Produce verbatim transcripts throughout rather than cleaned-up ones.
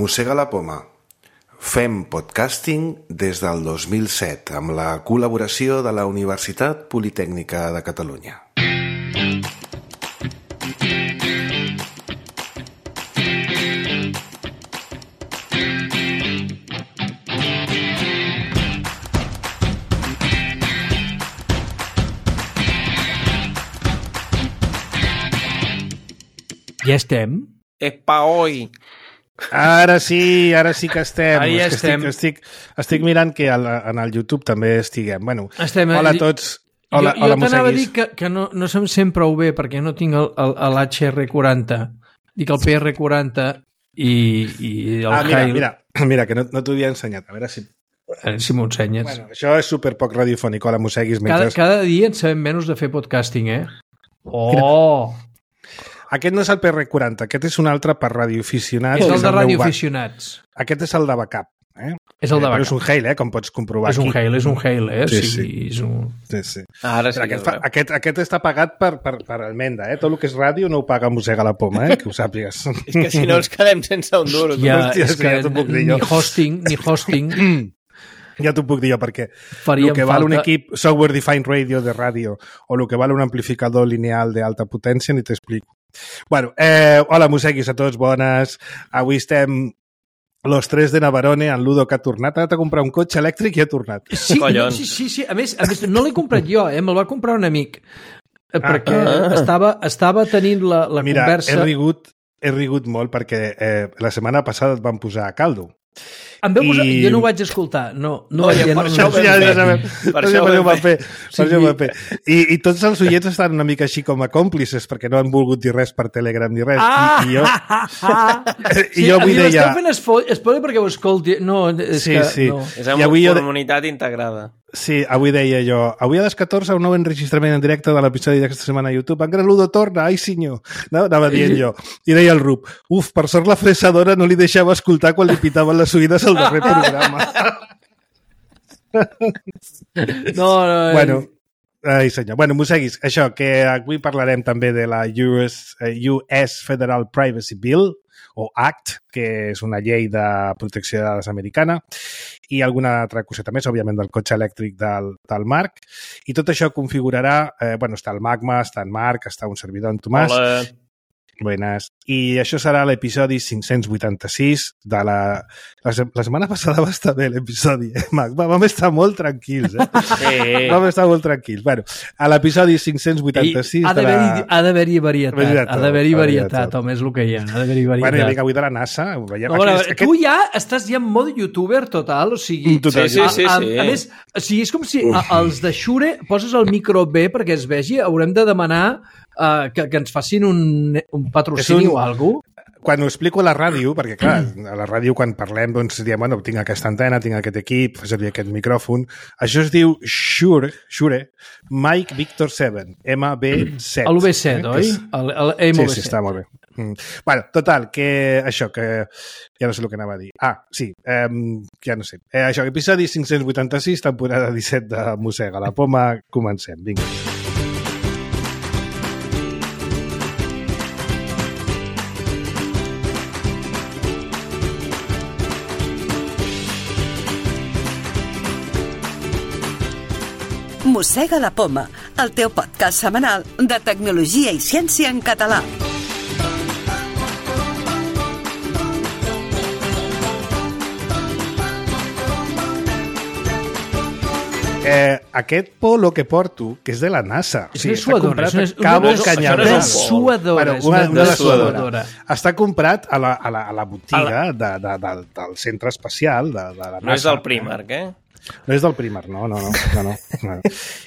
Mossega la poma. Fem podcasting des del dos mil set amb la col·laboració de la Universitat Politècnica de Catalunya. Ja estem? Epa, oi! Ara sí, ara sí que estem. Ara ja que estem. Estic, estic, estic mirant que al, en el YouTube també estiguem. Bueno, estem hola a tots. Hola, jo jo hola t'anava a dir mosseguis. que, que no, no se'm sent prou bé perquè no tinc l'H R quaranta. Dic el P R quaranta i, i el Ah, mira, Hail. mira, mira, que no, no t'ho havia ensenyat. A veure si... A veure si m'ho ensenyes. Bueno, això és super poc radiofònic. Hola, mosseguis. cada, Mentre... cada dia en sabem menys de fer podcasting, eh? Oh! Aquest no és el P R quaranta, aquest és un altre per radioaficionats. És el és de meu radioaficionats. ba- Aquest és el de backup. Eh? És el de Eh, Però backup. és un Hail, eh? Com pots comprovar És un aquí. Hail, és un Hail, eh? Sí, Sí, sí. És un... Sí, sí. Ara sí Però que aquest, fa, aquest, aquest està pagat per, per, per Almenda, eh? Tot el que és ràdio no ho paga Mossega la poma, eh? Que ho sàpigues. És que si no ens quedem sense un duro. Ja, Hòstia, és sí, que ja t'ho puc dir ni jo. hosting, ni hosting Ja t'ho puc dir jo, perquè faríem el que val un falta. equip software defined radio de ràdio o el que val un amplificador lineal d'alta potència ni t'explico. Bueno, eh, hola mosseguis a tots, bones. Avui estem los tres de Navarone, en Ludo que ha tornat. Ha anat a comprar un cotxe elèctric i ha tornat. Sí, no, Collons. sí, sí, sí. A més, a més, no l'he comprat jo, eh? Me'l va comprar un amic. Eh, Perquè ah. estava, estava tenint la, la Mira, conversa... he rigut, he rigut molt perquè eh, la setmana passada et van posar a caldo. Em veu posar... I- Jo no ho vaig escoltar. No, no, Oye, ja per no, això no, ho vam ja, ja fer. sabem. Per Per això això ho ho vam vam fer. Per Sí. això ho vam fer. I, I tots els oients estan una mica així com a còmplices perquè no han volgut dir res per Telegram ni res. Ah! I, i jo... Sí, I jo avui a mi deia... m'esteu fent espo- spoiler perquè ho escolti. No, és Sí, que... sí. No. És I una avui jo- comunitat integrada. Sí, avui deia jo, avui a les catorze un nou enregistrament en directe de l'episodi d'aquesta setmana a YouTube. En Gran Ludo torna, ai senyor. No? Anava dient jo. I deia el Rup, uf, per sort la fresadora no li deixava escoltar quan li pitaven les oïdes al darrer programa. No, no, Bueno, ai senyor. Bueno, mosseguis, això, que avui parlarem també de la U S, eh, U S Federal Privacy Bill, o Act, que és una llei de protecció de dades americana, i alguna altra coseta més, òbviament, del cotxe elèctric del, del Marc. I tot això configurarà... Eh, bueno, està el Magma, està en Marc, està un servidor en Tomàs. Hola. Buenas. I això serà l'episodi cinc-cents vuitanta-sis de la... La, se- la setmana passada va estar bé l'episodi, eh, Mac? Va, vam estar molt tranquils, eh? Sí. Vam estar molt tranquils. Bueno, a l'episodi cinc-cents I vuitanta-sis ha de la... d'haver-hi ha d'haver-hi varietat. Varietat, Ha d'haver-hi ha d'haver-hi varietat, varietat. home, és el que hi ha. Ha d'haver-hi Bueno, i varietat. vinga, avui de la NASA, ho veiem. No, bueno, Aquest- tu ja estàs ja en mode youtuber total, o sigui... Total, Sí, sí, sí, a, a, sí. a més, o sigui, és com si a, els de Shure poses el micro bé perquè es vegi, haurem de demanar uh, que, que ens facin un, un patrocini És un- o alguna cosa. Quan ho explico a la ràdio, perquè clar, a la ràdio quan parlem doncs diem, bueno, tinc aquesta antena, tinc aquest equip, fa servir aquest micròfon, això es diu Shure, Shure, Mike Victor set, M B set. El V set, eh? oi? Que és- El, el Sí, M V set. sí, està molt bé. Mm. Bueno, total, que això, que ja no sé el que anava a dir. Ah, sí, eh, ja no sé. Eh, això, episodi cinc-cents vuitanta-sis, temporada disset de Mossega la poma, comencem, vinga. Mossega la poma, el teu podcast setmanal de tecnologia i ciència en català. Eh, aquest polo que porto, que és de la NASA. És una suadora, és una- una- Cabo una- Canyamel. una suadora, Bueno, és una, una una dessuadora. suadora. Està comprat a la, a la, a la botiga de, de, de, del centre espacial de, de la NASA. No és del Primark, eh? No és del Primark, no, no, no. no, no, no.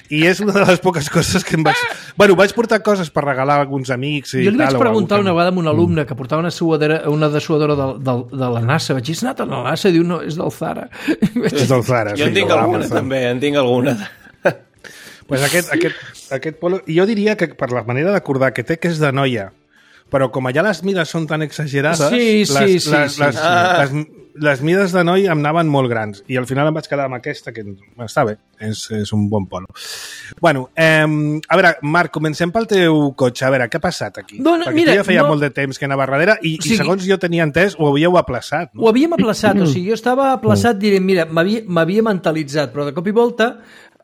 I és una de les poques coses que em vaig... Bueno, vaig portar coses per regalar a alguns amics i Jo li vaig tal, o preguntar algú una que- vegada a un alumne que portava una suadora, una dessuadora de, de, de la NASA. Vaig dir, has anat a la NASA? Diu, no, és del Zara. És del Zara. Jo en sí, tinc de alguna, l'Amazon. també, en tinc alguna. Pues aquest, aquest, aquest polo... I jo diria que per la manera d'acordar que té que és de noia, però com allà les mides són tan exagerades, Sí, sí, les, sí, les, sí. les, Ah. les, les mides de noi em anaven molt grans i al final em vaig quedar amb aquesta, que està bé, és, és un bon polo. Bueno, eh, a veure, Marc, comencem pel teu cotxe. A veure, què ha passat aquí? No, no, Perquè mira, tu ja feia no... molt de temps que anava darrere i, sí. i segons jo tenia entès, ho havíeu aplaçat. No? Ho havíem aplaçat, o sigui, jo estava aplaçat, diré, mira, m'havia mentalitzat, però de cop i volta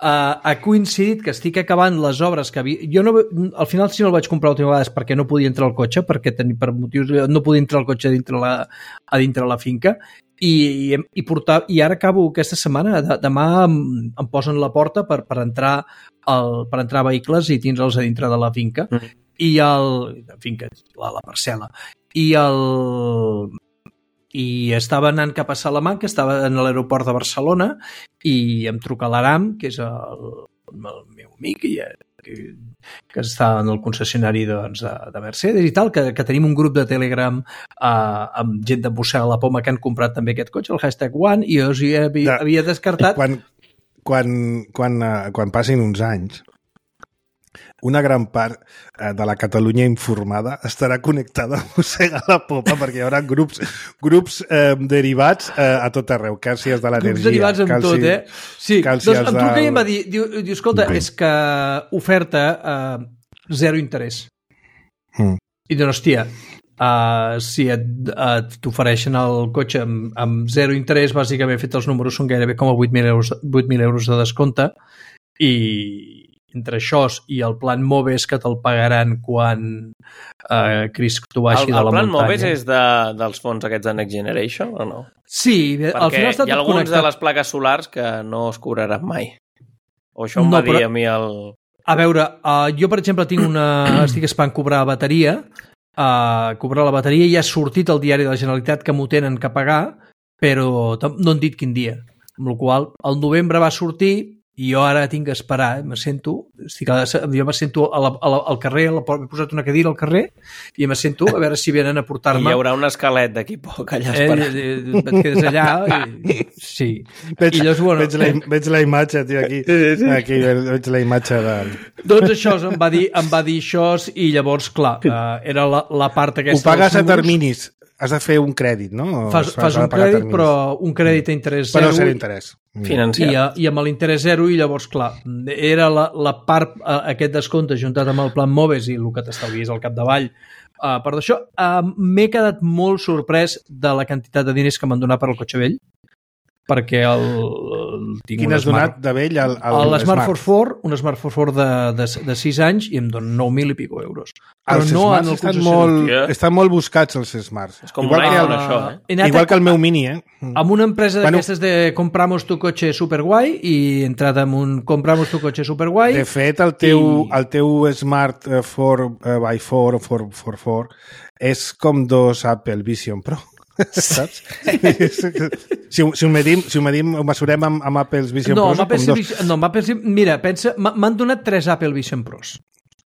Uh, ha coincidit que estic acabant les obres que havia... Jo no, al final si no el vaig comprar l'última vegada és perquè no podia entrar al cotxe, perquè tenia, per motius no podia entrar al cotxe a dintre la, a dintre la finca i, i, i, portar, i ara acabo aquesta setmana, de, demà em, em posen la porta per, per, entrar el, per entrar a vehicles i tindre'ls a dintre de la finca mm. i el... finca, la, la parcel·la i el... i estava anant cap a Salamanca, estava en l'aeroport de Barcelona i em truca l'Aram, que és el, el meu amic i, que, que està en el concessionari doncs, de, de Mercedes i tal, que, que tenim un grup de Telegram uh, amb gent de Mossega la Poma que han comprat també aquest cotxe, el hashtag One, i jo o sigui, havia, havia descartat... Quan, quan, quan, uh, quan passin uns anys, una gran part eh, de la Catalunya informada estarà connectada a Mossega la Popa perquè hi haurà grups, grups eh, derivats eh, a tot arreu, càlcies de l'energia. Grups derivats amb tot, eh? Sí, doncs em truca del... i em va dir, diu, diu escolta, okay. és que oferta eh, zero interès. Mm. I diu, hòstia, uh, si et, et t'ofereixen el cotxe amb, amb zero interès, bàsicament he fet els números, són gairebé com a vuit mil euros, vuit mil euros de descompte i entre això i el plan Moves que te'l pagaran quan eh, Cris tu baixi el, de la muntanya. El plan Moves és de, dels fons aquests de Next Generation o no? Sí, perquè al final està tot connectat. Perquè hi ha alguns connectat. De les plaques solars que no es cobraran mai. O això em no, va dir però, a mi el... A veure, uh, jo per exemple tinc una... estic esperant cobrar bateria, uh, cobrar la bateria i ha sortit al diari de la Generalitat que m'ho tenen que pagar, però no han dit quin dia. Amb la qual cosa, el novembre va sortir i jo ara tinc que esperar, me sento, estic a, jo me sento a la, a la, al carrer, la, he posat una cadira al carrer i me sento a veure si venen a portar-me. I hi haurà un esquelet d'aquí poc allà esperant. Eh, eh, et quedes allà i... Sí. Veig, I llavors, bueno, veig, la, veig la imatge, tio, aquí. Aquí veig la imatge de... Doncs això, em va dir, em va dir això i llavors, clar, uh, era la, la part aquesta... Ho pagues a terminis. Has de fer un crèdit, no? Fas, fas un crèdit, però un crèdit a interès zero. Però zero interès. Financiat. I, i amb l'interès zero, i llavors, clar, era la, la part, aquest descompte juntat amb el plan Moves i el que t'estalvies al capdavall. Uh, per això, uh, m'he quedat molt sorprès de la quantitat de diners que m'han donat per al cotxe vell, perquè el... el tinc Quin has donat de vell al, al Smart? Smart Force quatre, un Smart Force quatre de, de, de sis anys i em donen nou mil i pico euros. Però els no Smarts estan molt, estan molt buscats, els Smarts. És com igual un que el, això, eh? Igual que el meu Mini, eh? Amb una empresa bueno, d'aquestes de compramos tu cotxe superguai i he entrat en un compramos tu cotxe superguai. De fet, el teu, i... el teu Smart quatre by quatre o quatre per quatre és com dos Apple Vision Pro. Saps? si, ho, si, ho medim, si ho medim, ho mesurem amb, amb Apple Vision no, Pros, Apple com dos. Vision, no, Apple, mira, pensa, m'han donat tres Apple Vision Pros.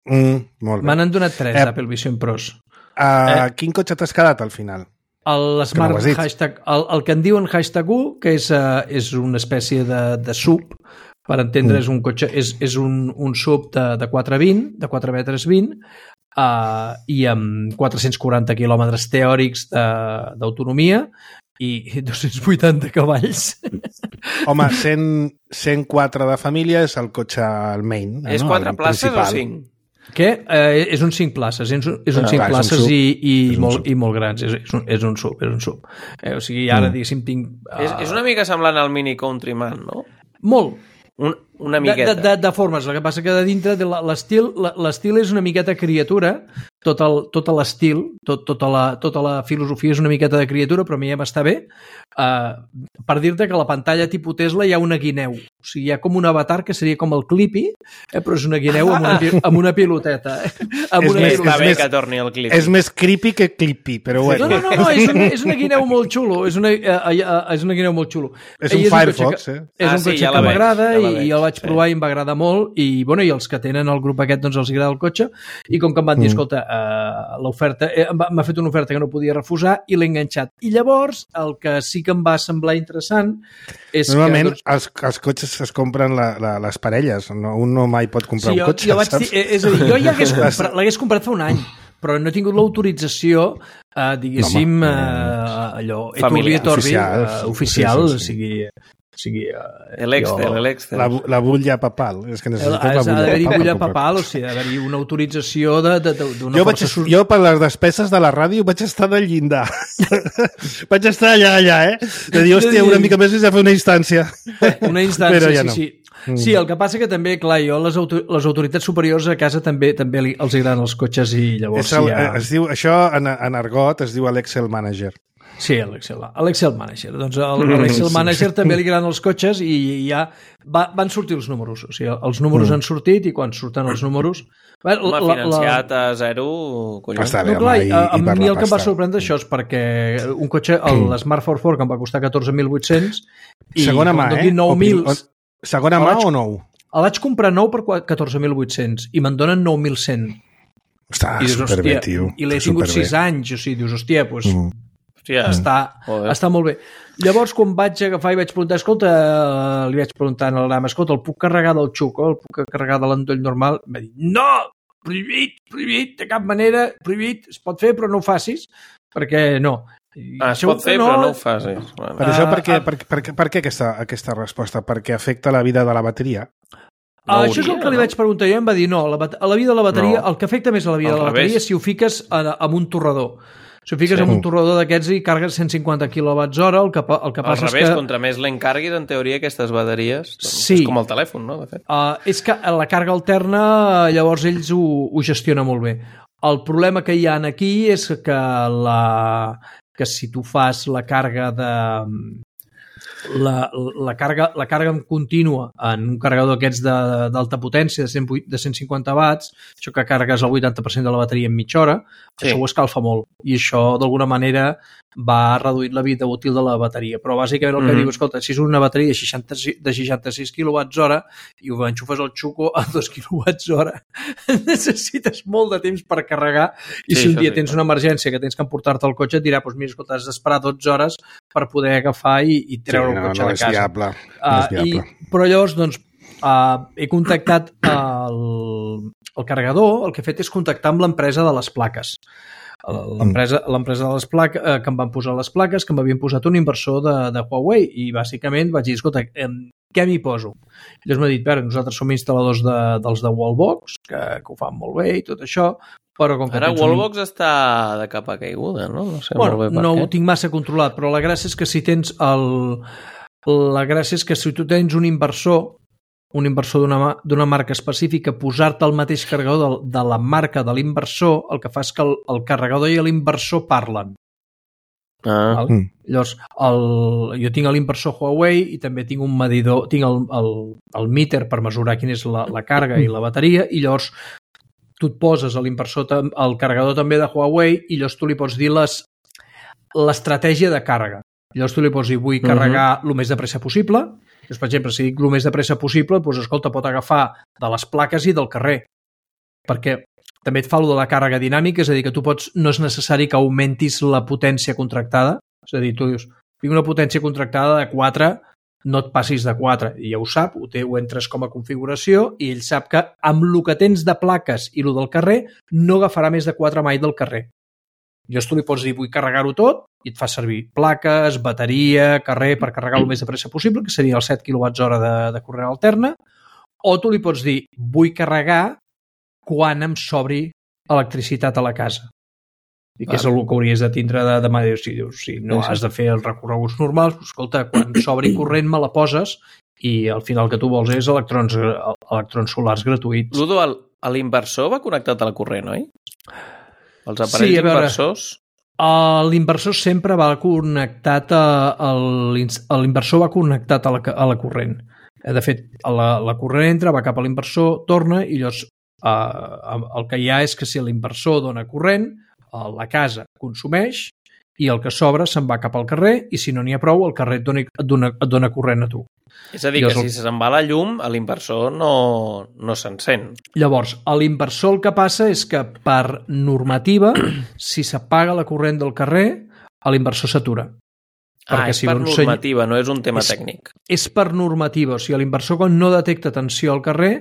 Mm, molt bé. M'han donat tres eh, Apple Vision Pros. Uh, eh? Quin cotxe t'has quedat al final? El Smart no hashtag, el, el que en diuen hashtag U, que és, uh, és una espècie de, de sub, per entendre, mm. és un cotxe, és, és un, un sub de, de quatre vint, de quatre metres vint, Uh, i amb quatre-cents quaranta quilòmetres teòrics d'autonomia i dos-cents vuitanta cavalls. Home, cent, cent quatre de família és el cotxe al main. És no? quatre places principal. O cinc? Què? Uh, és un cinc places, és un, és un ah, cinc clar, places un i, i, molt, i molt grans, és, és, un, és un sub, és un sub. Eh, o sigui, ara, mm. diguéssim, tinc... Uh... És, és una mica semblant al Mini Countryman, no? Molt. Un, una miqueta. De, de, de formes, el que passa que de dintre de l'estil l'estil és una miqueta criatura, tot el, tot l'estil, tot, tota, la, tota la filosofia és una miqueta de criatura, però a mi ja m'està bé. Uh, per dir-te que a la pantalla tipus Tesla hi ha una guineu. O sigui, hi ha com un avatar que seria com el Clippy, eh, però és una guineu amb una, amb una piloteta. Eh? Amb és una més, piloteta. Està bé que torni el Clippy. És més creepy que Clippy, però bueno. No, no, no, no és, una, és una guineu molt xulo. És una, uh, uh, és una guineu molt xulo. És un és Firefox, un eh? És ah, un sí, cotxe ja que m'agrada ja i, i el vaig sí. provar i em va agradar molt i, bueno, i els que tenen el grup aquest doncs els agrada el cotxe i com que em van dir, mm. escolta, uh, l'oferta eh, m'ha fet una oferta que no podia refusar i l'he enganxat. I llavors el que sí que em va semblar interessant és normalment que... Normalment els, els cotxes es compren la, la, les parelles, no, un no mai pot comprar sí, un jo, cotxe, jo vaig saps? dir, és a dir, jo ja l'hagués comprat, comprat fa un any però no he tingut l'autorització, eh, diguéssim, no, eh, allò, familiar, oficial, oficial, oficial sí, sí, sí. o sigui... O sigui eh, L'Excel, jo- l'Excel. La, la bulla papal. És que necessites Ha la bulla d'haver-hi papal. bulla per- papal, o sigui, ha d'haver-hi una autorització de- de- de- d'una Jo, vaig, força... sus- jo, per les despeses de la ràdio, vaig estar del llindar. vaig estar allà, allà, eh? De dir, hòstia, una mica més és a fer una instància. Una instància, Però ja sí, no. sí. Sí, el que passa que també, clar, jo, les, auto les autoritats superiors a casa també també li, els agraden els cotxes i llavors És el, ja... es diu, això en, en argot es diu l'Excel Manager. Sí, l'Excel l'Excel Manager. Doncs el- l'Excel Manager també li agraden els cotxes i ja va, van sortir els números. O sigui, els números han sortit i quan surten els números... Bé, Home, financiat a zero, collons. Està bé, No, clar, home, i, a, a i per mi la el que em va pasta. sorprendre això és perquè un cotxe, el Smart quatre quatre, que em va costar catorze mil vuit-cents i Segona mà, quan eh? doni nou mil... O- Segona El mà vaig- o nou? El vaig comprar nou per catorze mil vuit-cents i me'n donen nou mil cent. Està I dius, superbé, hòstia, tio. i l'he tingut Superbé. sis anys, o sigui, dius, hòstia, doncs Mm. Hòstia, està, Joder. està molt bé. Llavors, quan vaig agafar i vaig preguntar, escolta, eh, li vaig preguntar en el ram, escolta, el puc carregar del xuco, el puc carregar de l'endoll normal? Em va dir, no, prohibit, prohibit, de cap manera, prohibit, es pot fer, però no ho facis, perquè no. I Ah, es segur pot que fer, però no ho facis. Bueno. Per això, Ah, per què, ah. per, per, per, per què aquesta, aquesta resposta? Perquè afecta la vida de la bateria? Ah, No això és el hauria, que li no? vaig preguntar jo, em va dir no, la, bat- a la vida de la bateria, No. el que afecta més a la vida Al de la revés. bateria és si ho fiques en, en un torrador. Si ho fiques Sí. en un torrador d'aquests i cargues cent cinquanta quilowatts hora, el que, pa- el que Al passa revés, és que... contra més l'encarguis, en teoria, aquestes bateries... Doncs Sí. És com el telèfon, no?, de fet. Uh, és que la càrrega alterna, llavors ells ho, ho gestionen molt bé. El problema que hi ha aquí és que, la, que si tu fas la càrrega de... La, la, càrrega, la càrrega contínua en un carregador d'aquests de- d'alta potència de, cent, de cent cinquanta watts, això que carregues el vuitanta per cent de la bateria en mitja hora, Sí. això ho escalfa molt i això d'alguna manera va reduir la vida útil de la bateria, però bàsicament el que Mhm. diu, escolta, si és una bateria de, seixanta, de seixanta-sis quilowatts hora i ho enxufes al xuco a dos quilowatts hora, necessites molt de temps per carregar i Sí, si un això dia sí, tens clar. una emergència que tens que emportar-te el cotxe et dirà, doncs mira, escolta, has d'esperar dotze hores per poder agafar i, i treure Sí, el no, cotxe no de és casa. viable. No Uh, és viable. i, però llavors, doncs, uh, he contactat el, el carregador, el que he fet és contactar amb l'empresa de les plaques. L'empresa l'empresa de les plaques, eh, que em van posar les plaques, que m'havien posat un inversor de, de Huawei i bàsicament vaig dir, escolta, eh, què m'hi poso? I llavors m'ha dit, pera, nosaltres som instal·ladors de, dels de Wallbox, que, que ho fan molt bé i tot això, però com que Ara tens un- Wallbox està de capa caiguda, no? No sé Bueno, molt bé per no què. ho tinc massa controlat, però la gràcia és que si tens el... La gràcia és que si tu tens un inversor, un inversor d'una ma- d'una marca específica, posar-te el mateix carregador de, de la marca de l'inversor, el que fa és que el, el carregador i l'inversor parlen. Ah, Val? Mm. Llavors, el, jo tinc l'inversor Huawei i també tinc un medidor, tinc el, el, el meter per mesurar quina és la, la càrrega i la bateria i llavors tu et poses a l'inversor, tam- al carregador també de Huawei i llavors tu li pots dir les l'estratègia de càrrega. Llavors tu li pots dir vull carregar el més de pressa possible. Llavors, per exemple, si dic el més de pressa possible, doncs, escolta, pot agafar de les plaques i del carrer. Perquè també et fa lo de la càrrega dinàmica, és a dir, que tu pots, no és necessari que augmentis la potència contractada. És a dir, tu dius, tinc una potència contractada de quatre, no et passis de quatre. I ja ho sap, ho, té, ho entres com a configuració i ell sap que amb el que tens de plaques i el del carrer no agafarà més de quatre mai del carrer. Llavors tu li pots dir, vull carregar-ho tot, i et fa servir plaques, bateria, carrer, per carregar el més de pressa possible, que seria els set quilowatts hora de, de corrent alterna, o tu li pots dir, vull carregar quan em sobri electricitat a la casa. I que és el que hauries de tindre de demà. Si, dius, si no has de fer els recorreguts normals, doncs, escolta, quan s'obri corrent me la poses i al final el que tu vols és electrons, electrons solars gratuïts. Ludo, el- l'inversor va connectat al corrent, oi? Els aparells Sí, a veure. inversors... Uh, L'inversor sempre va connectat a, a l'ins- a l'inversor va connectat a la, a la corrent. Eh, De fet, a la, la corrent entra, va cap a l'inversor, torna i llavors uh, el que hi ha és que si l'inversor dona corrent, uh, la casa consumeix i el que sobra se'n va cap al carrer i si no n'hi ha prou, el carrer et dona, et dona, et dona corrent a tu. És a dir, Jo que soc- si se'n va la llum, a l'inversor no, no s'encén. Llavors, a l'inversor el que passa és que per normativa, si s'apaga la corrent del carrer, a l'inversor s'atura. Ah, és si per no normativa, no és un tema és, tècnic. És per normativa, o sigui, l'inversor quan no detecta tensió al carrer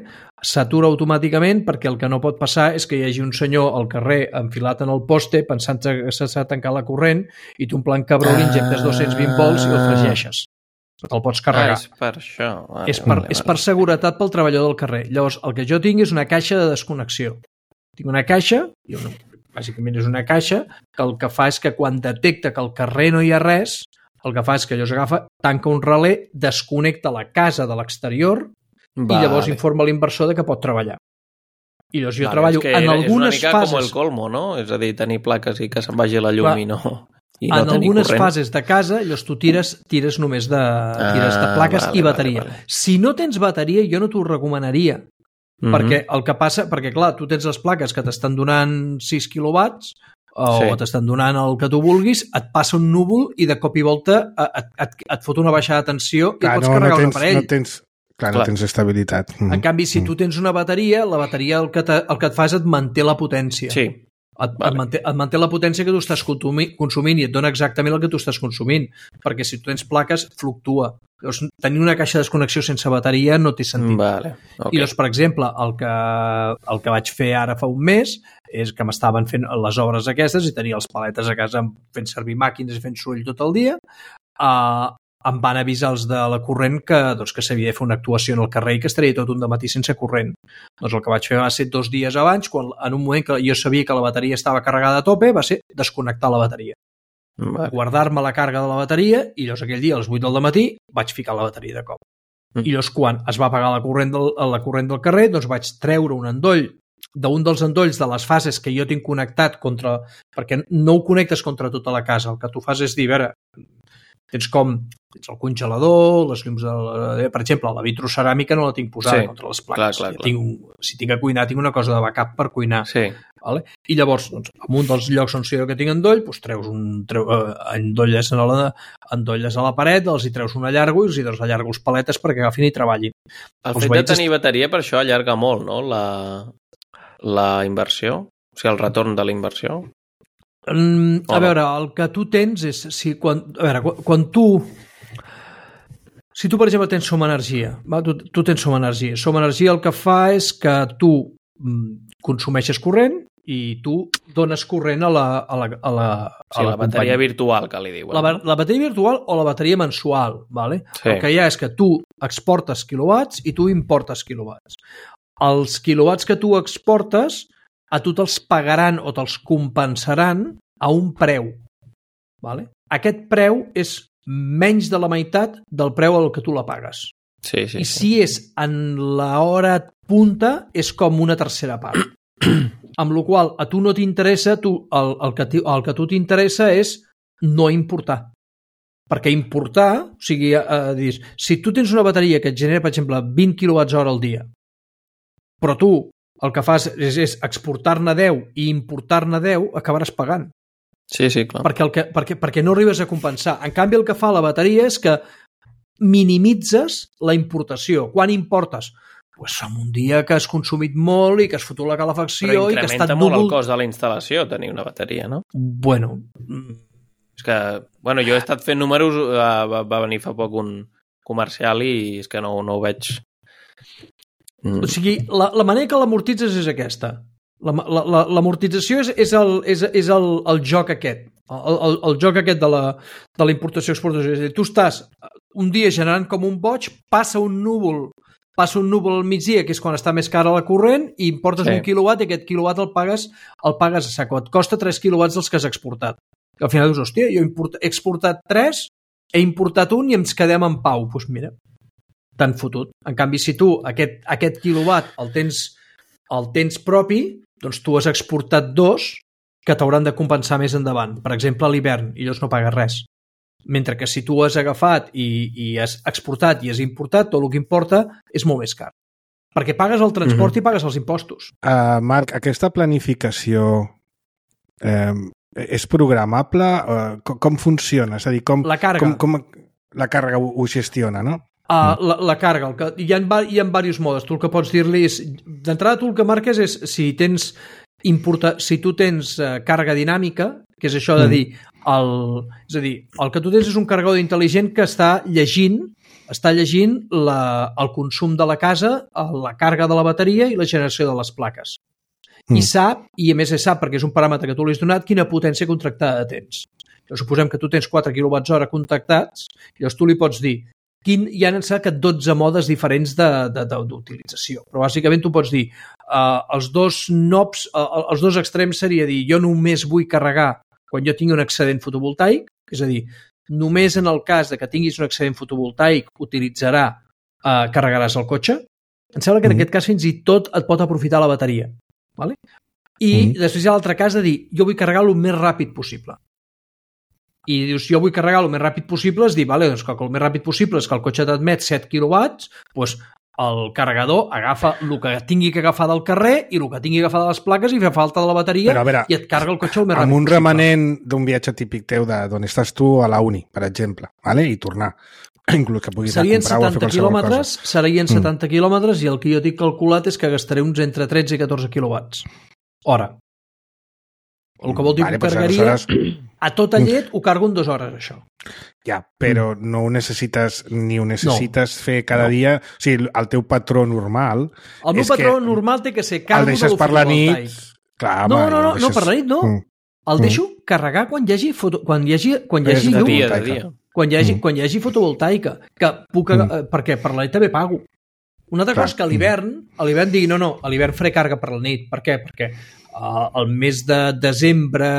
s'atura automàticament perquè el que no pot passar és que hi hagi un senyor al carrer enfilat en el poste pensant que s'ha tancat la corrent i tu en plan cabró li injectes dos-cents vint volts i el fregeixes. Te'l pots carregar. Ah, és per això. Vale, és, per, vale, és vale. per seguretat pel treballador del carrer. Llavors, el que jo tinc és una caixa de desconnexió. Tinc una caixa, i una, bàsicament és una caixa, que el que fa és que quan detecta que al carrer no hi ha res, el que fa és que allò s'agafa, tanca un relé, desconnecta la casa de l'exterior vale. I llavors informa l'inversor de que pot treballar. I llavors jo vale, treballo en algunes fases... És una mica fases, com el colmo, no? És a dir, tenir plaques i que se'n vagi la llum clar, i no, i no en tenir algunes corrent. fases de casa, llavors tu tires, tires només de, tires de plaques ah, vale, i bateria. Vale, vale. Si no tens bateria, jo no t'ho recomanaria. Mm-hmm. Perquè el que passa... Perquè, clar, tu tens les plaques que t'estan donant sis quilowatts o sí. t'estan donant el que tu vulguis, et passa un núvol i de cop i volta et, et, et fot una baixada de tensió i clar, et pots no, carregar no tens, un aparell. No tens, clar, clar, no tens estabilitat. Mm. En canvi, si mm. tu tens una bateria, la bateria el que, te, el que et fa és et manté la potència. Sí. Et, vale. et, manté, et manté la potència que tu estàs consumint i et dona exactament el que tu estàs consumint. Perquè si tu tens plaques, fluctua. Llavors, tenir una caixa de desconnexió sense bateria no té sentit. Vale. Okay. I doncs, per exemple, el que, el que vaig fer ara fa un mes és que m'estaven fent les obres aquestes i tenia els paletes a casa fent servir màquines i fent soroll tot el dia. Uh, em van avisar els de la corrent que, doncs, que s'havia de fer una actuació en el carrer i que estaria tot un dematí sense corrent. Doncs el que vaig fer va ser dos dies abans, quan en un moment que jo sabia que la bateria estava carregada a tope, va ser desconnectar la bateria. Vale. Guardar-me la càrrega de la bateria i llavors aquell dia a les vuit del matí vaig ficar la bateria de cop. Mm. I llavors quan es va apagar la corrent del, la corrent del carrer doncs vaig treure un endoll d'un dels endolls de les fases que jo tinc connectat contra... perquè no ho connectes contra tota la casa, el que tu fas és dir, a veure, tens com tens el congelador, les llums de la, per exemple, la vitroceràmica no la tinc posada sí, contra les plaques. Clar, clar, clar. Tinc, si tinc a cuinar, tinc una cosa de backup per cuinar. Sí. Vale? I llavors, doncs, en un dels llocs on sé que tinc endoll, doncs treus un, treu, eh, endolles, a la, endolles a la paret, els hi treus una llargo i els hi dones la llargo els paletes perquè agafin i treballin. El fet de tenir bateria per això allarga molt, no?, la, la inversió, o sigui, el retorn de la inversió. Mm, a veure, el que tu tens és... Si, quan, a veure, quan, quan tu... Si tu, per exemple, tens Som Energia, va? Tu, tu tens Som Energia. Som Energia el que fa és que tu mm, consumeixes corrent i tu dones corrent a la, a la, a la, sí, a la, la bateria companya. Virtual, que li diuen. La, la bateria virtual o la bateria mensual, ¿vale? Sí. El que hi ha és que tu exportes quilowatts i tu importes quilowatts. Els quilowatts que tu exportes a tu te'ls pagaran o te'ls compensaran a un preu. ¿Vale? Aquest preu és menys de la meitat del preu al que tu la pagues. Sí, sí, I sí. si és en l'hora punta, és com una tercera part. Amb la qual a tu no t'interessa, tu, el, el, que, el que a tu t'interessa és no importar. Perquè importar, o sigui, eh, dir, si tu tens una bateria que et genera, per exemple, vint quilowatts hora al dia, però tu el que fas és, és exportar-ne deu i importar-ne deu, acabaràs pagant. Sí, sí, clar. Perquè, el que, perquè, perquè no arribes a compensar. En canvi, el que fa la bateria és que minimitzes la importació. Quan importes? Pues en un dia que has consumit molt i que has fotut la calefacció i que ha estat incrementa molt el cost de la instal·lació tenir una bateria, no? Bueno... És que, bueno, jo he estat fent números, va, va venir fa poc un comercial i és que no, no ho veig... Mm. O sigui, la, la manera que l'amortitzes és aquesta. L'amortització és, és, el, és, és el, el joc aquest. El, el, el joc aquest de la, de la importació-exportació. És a dir, tu estàs un dia generant com un boig, passa un núvol passa un núvol al migdia, que és quan està més cara la corrent, i importes sí. un quilowatt i aquest quilowatt el pagues, el pagues a saco. Et costa tres quilowatts dels que has exportat. I al final dius, hòstia, jo he exportat tres, he importat un i ens quedem en pau. Doncs pues mira, t'han fotut. En canvi, si tu aquest, aquest quilowatt el tens, el tens propi, doncs tu has exportat dos que t'hauran de compensar més endavant. Per exemple, a l'hivern, i llavors no pagues res. Mentre que si tu has agafat i, i has exportat i has importat, tot el que importa és molt més car. Perquè pagues el transport mm-hmm. i pagues els impostos. Uh, Marc, aquesta planificació eh, és programable? Uh, com, com funciona? És a dir, com, la càrrega. Com, com la càrrega ho, ho gestiona, no? Uh, la, la càrrega. El que, hi ha, hi ha diversos modes. Tu el que pots dir-li és... D'entrada, tu el que marques és si tens... importa, si tu tens uh, càrrega dinàmica, que és això de dir, el, és a dir, el que tu tens és un carregador intel·ligent que està llegint està llegint la, el consum de la casa, la càrrega de la bateria i la generació de les plaques. Mm. I sap, i a més sap, perquè és un paràmetre que tu li has donat, quina potència contractada tens. Llavors, suposem que tu tens quatre quilowatts hora contractats, i llavors tu li pots dir, quin, hi ha que dotze modes diferents d'utilització. Però bàsicament tu pots dir, uh, els dos knobs, uh, els dos extrems seria dir, jo només vull carregar quan jo tingui un excedent fotovoltaic, és a dir, només en el cas de que tinguis un excedent fotovoltaic utilitzarà, eh, carregaràs el cotxe. Em sembla que en mm. aquest cas fins i tot et pot aprofitar la bateria. Vale? I mm. després hi ha l'altre cas de dir, jo vull carregar el més ràpid possible. I dius, jo vull carregar el més ràpid possible, és dir, vale, doncs que el més ràpid possible és que el cotxe t'admet set quilowatts, doncs el carregador agafa el que tingui que agafar del carrer i el que tingui que agafar de les plaques i fa falta de la bateria. Però, veure, i et carga el cotxe el més ràpid possible. Amb un possible. remanent d'un viatge típic teu d'on estàs tu a la uni, per exemple, vale? I tornar. Inclús que puguis serien anar a comprar o a fer qualsevol quilòmetres, cosa. Serien mm. setanta quilòmetres i el que jo tinc calculat és que gastaré uns entre tretze i catorze quilowatts hora. El que vol dir vale, que ho carregaria... Aleshores... A tota llet ho cargo en dues hores, això. Ja, però no ho necessites ni ho necessites no. fer cada no. dia. O sigui, el teu patró normal... El meu patró normal té que ser cargo de per la nit. Clar, no, home, no, no, deixes... no, per la nit no. Mm. El deixo mm. carregar quan hi hagi, foto... quan hi hagi, quan hi hagi llum. Dia, de dia. Quan hi hagi, mm. quan hi hagi fotovoltaica. Que puc... mm. Perquè per la nit també pago. Una altra Clar. cosa és que a l'hivern, a l'hivern digui, no, no, a l'hivern faré càrrega per la nit. Per què? Perquè uh, el mes de desembre...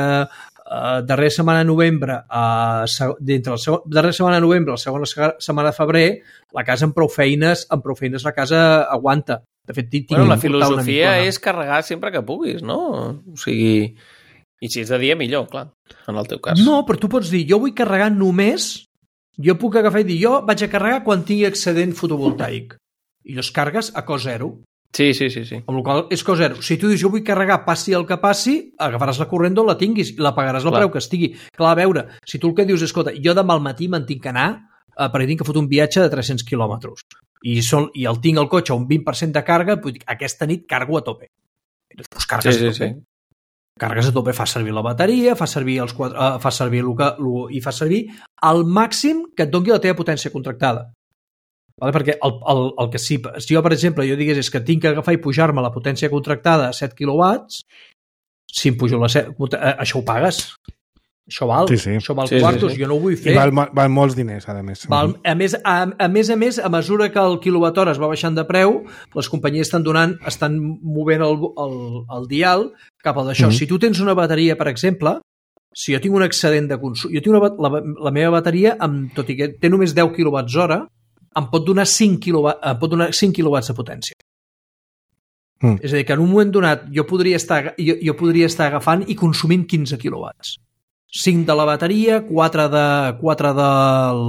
Uh, darrera setmana de novembre uh, d'entre la segon, darrera setmana de novembre la segona setmana de febrer la casa amb prou feines amb prou feines la casa aguanta. De fet, bueno, la filosofia és carregar sempre que puguis, no? O sigui, i si és de dia millor, clar, en el teu cas. No, però tu pots dir, jo vull carregar només, jo puc agafar i dir, jo vaig a carregar quan tingui excedent fotovoltaic i llavors cargues a cost zero. Sí, sí, sí, sí. Amb la qual és cosa zero. Si tu dius, jo vull carregar, passi el que passi, agafaràs la corrent d'on la tinguis i la pagaràs el preu que estigui. Clar, a veure, si tu el que dius és, escolta, jo demà al matí me'n tinc que anar eh, perquè tinc que fotre un viatge de tres-cents quilòmetres i, sol, i el tinc al cotxe a un vint per cent de càrrega, doncs aquesta nit cargo a tope. Doncs cargues sí, sí, a tope. Sí. Cargues a tope, fa servir la bateria, fa servir els quatre, uh, fa servir el que, lo, i fa servir al màxim que et doni la teva potència contractada. Vale? Perquè el, el, el que sí, si jo, per exemple, jo digués és que tinc que agafar i pujar-me la potència contractada a set quilowatts, si em pujo la set, això ho pagues. Això val. Sí, sí. Això val sí, quartos, sí, sí. jo no ho vull fer. I val, val molts diners, a més. Val, a, més, a, a més a més, a mesura que el quilowatt hora es va baixant de preu, les companyies estan donant, estan movent el, el, el dial cap al d'això. Mm-hmm. Si tu tens una bateria, per exemple, si jo tinc un excedent de consum, jo tinc una, la, la meva bateria, amb, tot i que té només deu quilowatts hora, em pot donar cinc quilowatts, em pot donar cinc quilowatts de potència. Mm. És a dir, que en un moment donat jo podria estar, jo, jo podria estar agafant i consumint quinze quilowatts. cinc de la bateria, quatre de, quatre del,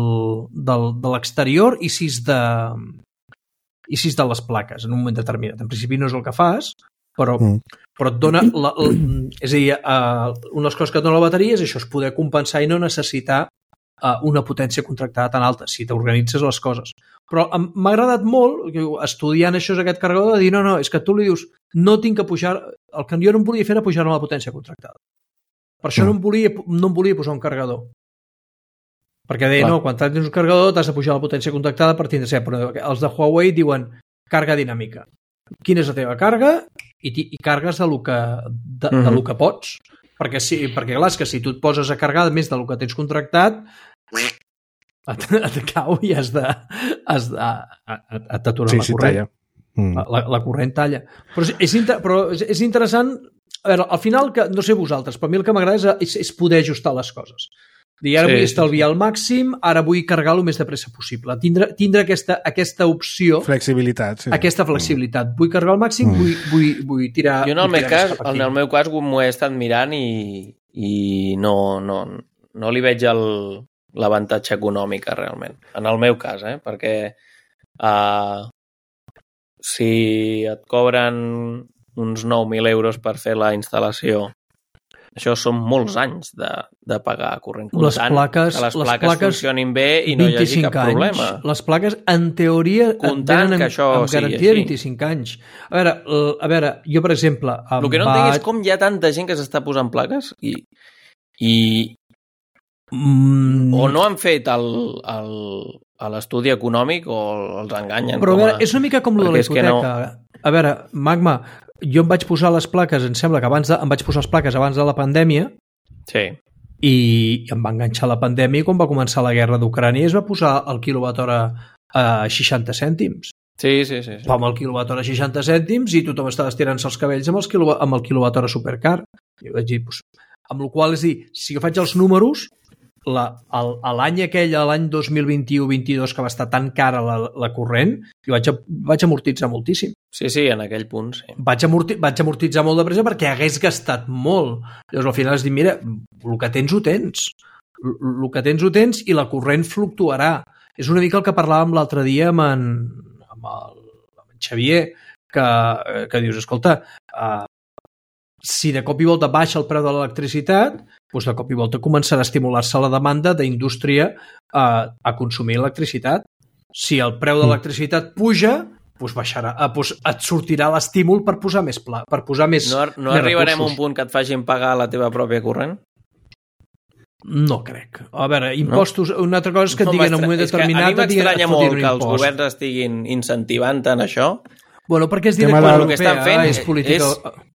del, de l'exterior i sis de, i sis de les plaques en un moment determinat. En principi no és el que fas, però, mm. però et dona... La, la, és a dir, uh, una de les coses que et dona la bateria és això, és poder compensar i no necessitar una potència contractada tan alta, si t'organitzes les coses. Però m'ha agradat molt, estudiant això aquest carregador, de dir, no, no, és que tu li dius, no tinc que pujar, el que jo no em volia fer era pujar-me la potència contractada. Per això no em volia, no em volia posar un carregador. Perquè deia, Clar. no, quan tens un carregador t'has de pujar la potència contractada per tindre ser, però els de Huawei diuen càrrega dinàmica. Quina és la teva càrrega? I, i cargues de lo que, de, mm-hmm. de lo que pots. Perquè, sí, perquè clar, és que si tu et poses a carregar més del que tens contractat, et, et cau i has de, has de et t'aturar sí, la sí, corrent. Mm. La, la corrent talla. Però, és, inter, però és, és interessant, a veure, al final, que, no sé vosaltres, però a mi el que m'agrada és, és poder ajustar les coses. Dir, ara sí, vull estalviar sí, sí. al màxim, ara vull carregar el més de pressa possible. Tindre, tindre aquesta, aquesta opció... Flexibilitat, sí. Aquesta flexibilitat. Vull carregar al màxim, mm. vull, vull, vull tirar... Jo en el, meu cas, en el meu cas m'ho he estat mirant i, i no, no, no li veig l'avantatge econòmic realment. En el meu cas, eh? Perquè uh, si et cobren uns nou mil euros per fer la instal·lació això són molts anys de, de pagar corrent Les comptant, plaques, que les les plaques, plaques funcionin bé i no hi hagi cap anys, problema. Les plaques, en teoria, Comptant venen que això amb sigui garantia de així. vint-i-cinc anys. A veure, l- a veure, jo, per exemple... em El que no va... entenc és com hi ha tanta gent que s'està posant plaques i, i Mm, o no han fet el, el, l'estudi econòmic o els enganyen. Però a com veure, és una mica com lo de la perquè és que hipoteca. No... A veure, Magma, jo em vaig posar les plaques, em sembla que abans de, em vaig posar les plaques abans de la pandèmia Sí. i em va enganxar la pandèmia i quan va començar la guerra d'Ucrània es va posar el quilowatt hora a seixanta cèntims. Sí, sí, sí. sí. Va amb el quilowatt hora a seixanta cèntims i tothom estava estirant-se els cabells amb, els quilo, amb el quilowatt hora supercar. I vaig dir, pues, amb la qual cosa, és dir, si jo faig els números, la, el, l'any aquell, l'any dos mil vint-i-u vint-i-dos, que va estar tan cara la, la corrent, jo vaig, vaig amortitzar moltíssim. Sí, sí, en aquell punt, sí. Vaig, amorti, vaig amortitzar molt de pressa perquè hagués gastat molt. Llavors, al final, has dit, mira, el que tens ho tens. El, el que tens ho tens i la corrent fluctuarà. És una mica el que parlàvem l'altre dia amb en, amb el, amb en Xavier, que, que dius, escolta, uh, si de cop i volta baixa el preu de l'electricitat, doncs de cop i volta començarà a estimular-se la demanda d'indústria a, a consumir electricitat. Si el preu de l'electricitat puja, doncs baixarà, doncs et sortirà l'estímul per posar més pla, per posar més No, no més arribarem recursos. a un punt que et facin pagar la teva pròpia corrent? No crec. A veure, impostos, no? Una altra cosa és que et No, diguen en un moment és que determinat... a mi m'estranya molt que els impost. governs estiguin incentivant en això. Bueno, perquè és Tema directiva del- El que estan fent europea, és política... és-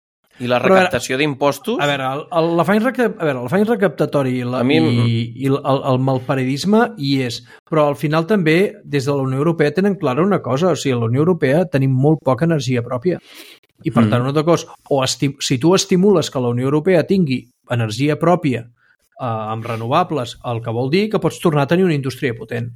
I la Però a veure, recaptació d'impostos... A veure, el, el, l'afany recap, a veure, l'afany recaptatori i, la, A mi- i, i el, el malparedisme hi és, però al final també des de la Unió Europea tenen clara una cosa, o sigui, a la Unió Europea tenim molt poca energia pròpia i per Mm. tant una altra cosa, o esti, si tu estimules que la Unió Europea tingui energia pròpia eh, amb renovables, el que vol dir que pots tornar a tenir una indústria potent.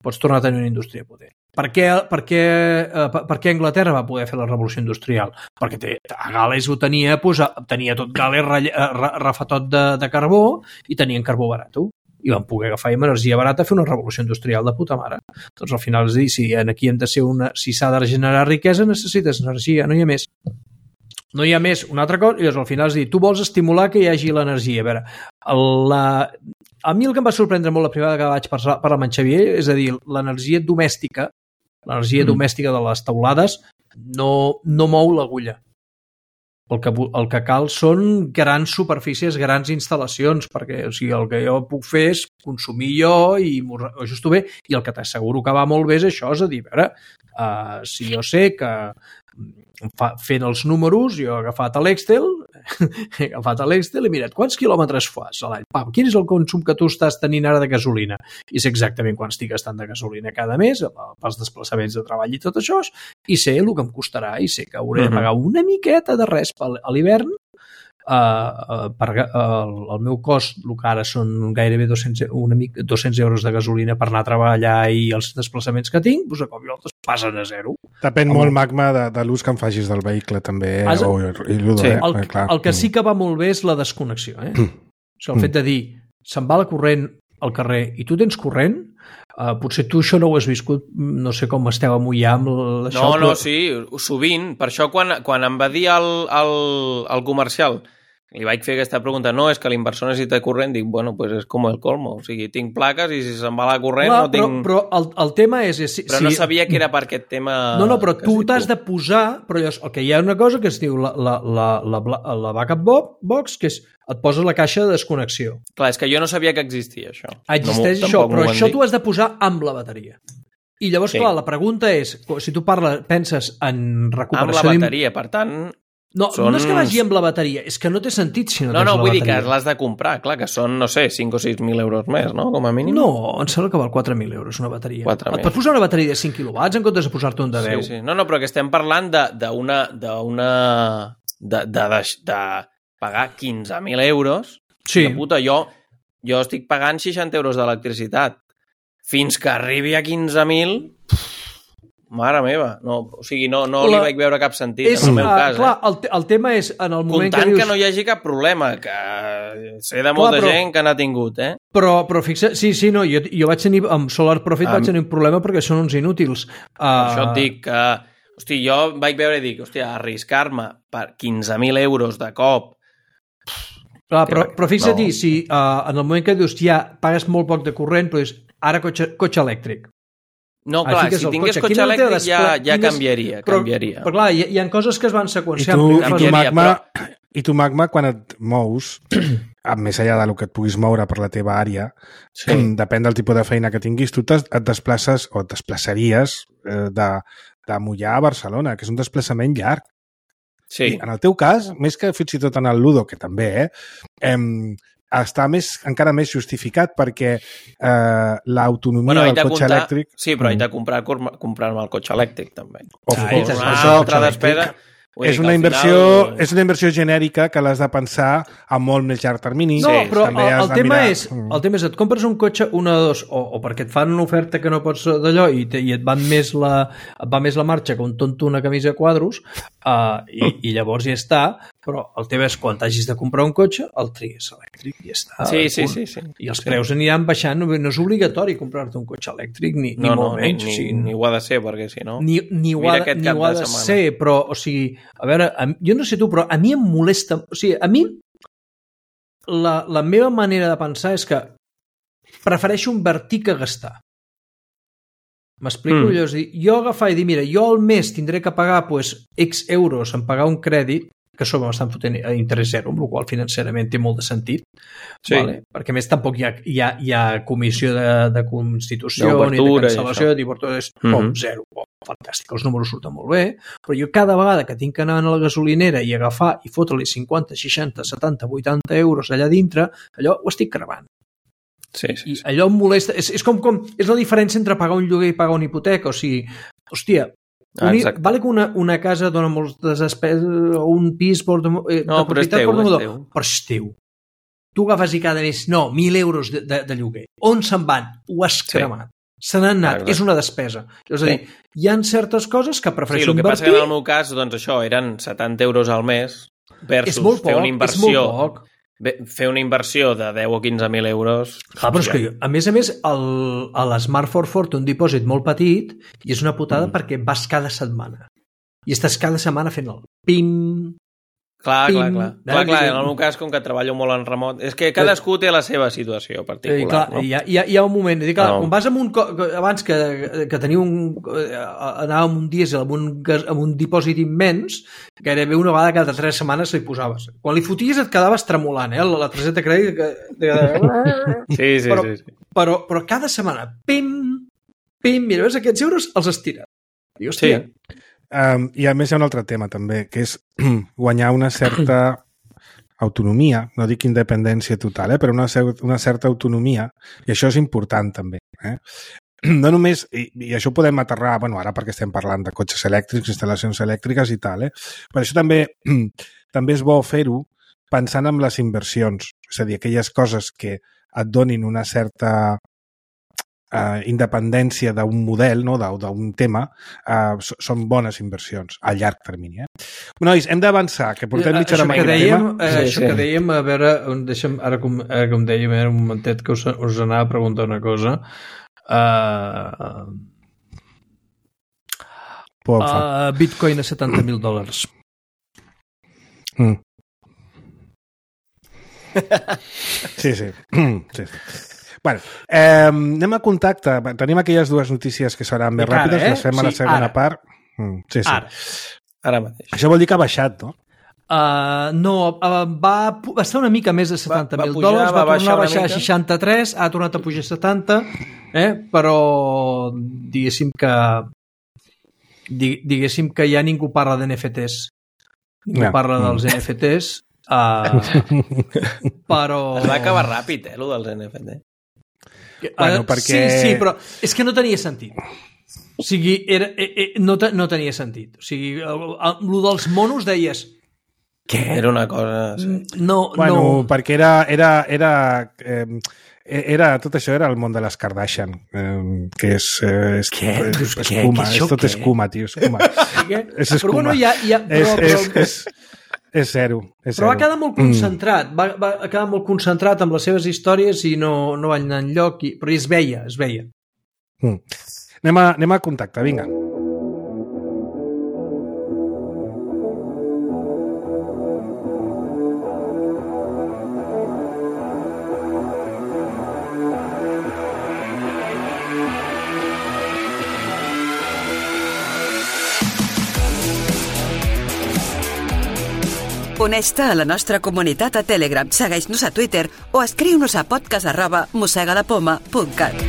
Pots tornar a tenir una indústria potent. Per què, per, què, eh, per, per què Anglaterra va poder fer la revolució industrial? Perquè té, a Gales ho tenia, pues, tenia tot Gales refatot de, de carbó i tenien carbó barat. I van poder agafar amb energia barata fer una revolució industrial de puta mare. Doncs al final és dir, si aquí hem de ser una, si s'ha de generar riquesa necessites energia, no hi ha més. No hi ha més. Una altra cosa, i llavors al final és dir, tu vols estimular que hi hagi l'energia. A veure, la, a mi el que em va sorprendre molt la primera vegada que vaig parlar, parlar amb en Xavier és a dir, l'energia domèstica l'energia mm. domèstica de les teulades no, no mou l'agulla. El que, el que cal són grans superfícies, grans instal·lacions, perquè o sigui, el que jo puc fer és consumir jo i m'ho ajusto bé, i el que t'asseguro que va molt bé és això, és a dir, a veure, uh, si jo sé que fa, fent els números, jo he agafat l'Excel, he agafat l'Excel i mirat quants quilòmetres fas a l'any. Pam, quin és el consum que tu estàs tenint ara de gasolina? I sé exactament quan estic gastant de gasolina cada mes, pels desplaçaments de treball i tot això, i sé el que em costarà, i sé que hauré de pagar una miqueta de res a l'hivern. Uh, uh, per, uh, el meu cost, el que ara són gairebé dos-cents, una mica, dos-cents euros de gasolina per anar a treballar i els desplaçaments que tinc, doncs a cop i volta passen a zero. Depèn molt, Magma, de, de l'ús que en facis del vehicle, també. Has... O, i l'ús, sí, eh? el, clar. el que sí que va molt bé és la desconnexió. Eh? Mm. O sigui, el fet de dir, se'n va la corrent al carrer i tu tens corrent, uh, potser tu això no ho has viscut, no sé com esteu a Moià amb això. No, però... no, sí, sovint. Per això quan, quan em va dir el, el, el comercial, li vaig fer aquesta pregunta, no, és que l'inversor necessita corrent, dic, bueno, pues és com el colmo, o sigui, tinc plaques i si se'n va la corrent Clar, no però, tinc... Però el, el tema és... és si, però no sabia que era per aquest tema... No, no, però tu t'has de posar... Però llavors, el que hi ha una cosa que es diu la, la, la, la, la backup box, que és et poses la caixa de desconnexió. Clar, és que jo no sabia que existia això. Existeix no això, però això dit. tu has de posar amb la bateria. I llavors, sí. clar, la pregunta és, si tu parles, penses en recuperació... Amb la bateria, per tant... No, són... no és que vagi amb la bateria, és que no té sentit si no, no tens no, la vull bateria. dir que l'has de comprar, clar, que són, no sé, cinc o sis mil euros més, no?, com a mínim. No, em sembla que val quatre mil euros una bateria. quatre mil. Et pots posar una bateria de cinc quilowatts en comptes de posar-te un de deu. Sí, sí. No, no, però que estem parlant d'una... d'una de, de, de, de pagar quinze mil euros. Sí. De puta, jo, jo estic pagant seixanta euros d'electricitat. Fins que arribi a quinze mil... Mare meva, no, o sigui, no, no la... li vaig veure cap sentit és, en el meu uh, cas. Clar, eh? el, el tema és en el moment Comptant que dius... que no hi hagi cap problema, que sé de molta clar, però... gent que n'ha tingut, eh? Però, però fixa, sí, sí, no, jo, jo vaig tenir, amb Solar Profit um, vaig tenir un problema perquè són uns inútils. Uh... Això et dic que, hosti, jo vaig veure i dic, hòstia, arriscar-me per quinze mil euros de cop Clar, però, però fixa't, no. si uh, en el moment que dius ja pagues molt poc de corrent, però dius, ara cotxe, cotxe elèctric. No, clar, si tingués cotxe, cotxe elèctric des... ja, ja canviaria, però, canviaria. Però clar, hi, hi ha coses que es van seqüenciar. I tu, i tu, Canviaria, Magma, però- i tu, Magma, quan et mous, més enllà del que et puguis moure per la teva àrea, Sí. depèn del tipus de feina que tinguis, tu et desplaces o et desplaçaries eh, de, de Mollà a Barcelona, que és un desplaçament llarg. Sí. I en el teu cas, més que fins i tot en el Ludo, que també, eh, eh està més, encara més justificat perquè eh, l'autonomia Bueno, haig del de cotxe comptar, elèctric... sí, però haig de comprar, comprar-me el cotxe elèctric, també. Of Ah, course. és Una això, altra cotxe despesa... elèctric Vull És dir que una, al inversió, final- és una inversió genèrica que l'has de pensar a molt més llarg termini. No, Sí, però també el, has el de tema mirar- és, el tema és, et compres un cotxe, una o dos, o, o perquè et fan una oferta que no pots d'allò i, te, i et, van més la, et va més la marxa que un tonto una camisa a quadros, uh, i, i llavors ja està, però el tema és quan t'hagis de comprar un cotxe, el trigues elèctric i ja està. Sí, sí, punt. sí, sí. I els preus aniran baixant, no, no és obligatori comprar-te un cotxe elèctric, ni, ni No, no, molt ni, menys. ni, o sigui, ni ho ha de ser, perquè si no... ni, ni ho Mira ha, aquest ni cap ho ha de de setmana. ser, però, o sigui, a veure, a, jo no sé tu, però a mi em molesta, o sigui, a mi la, la meva manera de pensar és que prefereixo invertir que gastar. M'explico? Mm. Mm. És dir, jo agafar i dir, mira, jo al mes tindré que pagar pues, X euros en pagar un crèdit, que sobre m'estan fotent a interès zero, amb el qual financerament té molt de sentit, Sí. vale? Perquè a més tampoc hi ha, hi ha, hi ha comissió de, de constitució ni de D'obertura i cancel·lació, això. d'obertura, és Mhm. com zero. Oh, fantàstic, els números surten molt bé, però jo cada vegada que tinc que anar a la gasolinera i agafar i fotre-li cinquanta, seixanta, setanta, vuitanta euros allà dintre, allò ho estic cremant. Sí, sí, I sí. allò em molesta. És, és com, com és la diferència entre pagar un lloguer i pagar una hipoteca. O sigui, hòstia, Ah, un, exacte. vale que una, una casa dona moltes despeses, o un pis porta, eh, No, de però és propietat teu, porta és molt, teu. però és teu. Tu agafes i cada mes, no, mil euros de, de, de lloguer. On se'n van? Ho has Sí. cremat. Se n'han anat, Exacte. és una despesa. És a dir, Sí. hi ha certes coses que Sí, prefereixo el que passa invertir. que en el meu cas, doncs això, eren setanta euros al mes versus és molt poc, fer una és inversió, molt poc. bé, fer una inversió de deu o quinze mil euros. Clar, però és que, a més a més, el, a l'Smart for Ford té un dipòsit molt petit i és una putada mm. perquè vas cada setmana. I estàs cada setmana fent el pim... Clar, Pim. clar, clar. Eh, clar, clar. que- En el meu cas, com que treballo molt en remot, és que cadascú té la seva situació I, particular, clar, no? hi, ha, hi, ha, hi ha un moment, dic, clar, No. quan vas amb un, co- abans que, que tenia un, anava amb un dièsel amb un, gas- amb un dipòsit immens, gairebé una vegada cada tres setmanes li posaves. Quan li foties et quedaves tremolant, eh? La, la targeta de crèdit que, de, Sí, sí, però, sí, sí. però, però cada setmana, pim, pim, mira, veus, aquests euros els estira. I, hòstia, Sí. Um, I a més hi ha un altre tema també, que és guanyar una certa autonomia, no dic independència total, eh, però una, cer- una certa autonomia, i això és important també. Eh? No només, i, i això ho podem aterrar, bueno, ara perquè estem parlant de cotxes elèctrics, instal·lacions elèctriques i tal, eh? Però això també, també és bo fer-ho pensant en les inversions, és a dir, aquelles coses que et donin una certa eh, independència d'un model, no? d'un d'un tema, eh, so- són bones inversions a llarg termini. Eh? Nois, hem d'avançar, que portem mitja hora això amb que aquest dèiem, tema. eh, Sí, això sí. que dèiem, a veure, on deixem, ara com, ara com dèiem, era un momentet que us, us anava a preguntar una cosa. Uh, Porfa. uh, Bitcoin a setanta mil dòlars. Mm. Sí, sí. sí. Bueno, eh, anem a contacte. Tenim aquelles dues notícies que seran més Encara, ràpides, eh? les fem a la Sí, segona ara. part. Mm, sí, sí. Ara. Ara mateix. Això vol dir que ha baixat, no? Uh, no, uh, va, va estar una mica més de setanta mil va pujar, dòlars, va, va tornar baixar a una baixar a mica. seixanta-tres, ha tornat a pujar a setanta, eh? Però diguéssim que di, diguéssim que ja ningú parla d'N F Ts. Ningú Ja. parla dels N F Ts, uh, però... Es va acabar ràpid, eh, el dels N F T. Bueno, Eh, perquè- Sí, sí, però és que no tenia sentit. O sigui, era, eh, eh, no, te, no tenia sentit. O sigui, el, el, el dels monos deies... Què? Era una cosa... Sí. No, Bueno, no... perquè era... era, era eh, era, tot això era el món de les Kardashian, eh, que és, eh, és, Què? és, Dius, és què? escuma, Què, és això tot què? escuma, tio, escuma. Què? és Però escuma. bueno, ja... ja però, és, és, però, és, és zero. És però va zero. quedar molt concentrat, va, va quedar molt concentrat amb les seves històries i no, no va anar enlloc, i, però es veia, es veia. Mm. Anem, a, anem a contacte, vinga. Uneix-te a la nostra comunitat a Telegram, segueix-nos a Twitter o escriu-nos a podcast arroba mossegalapoma punt cat.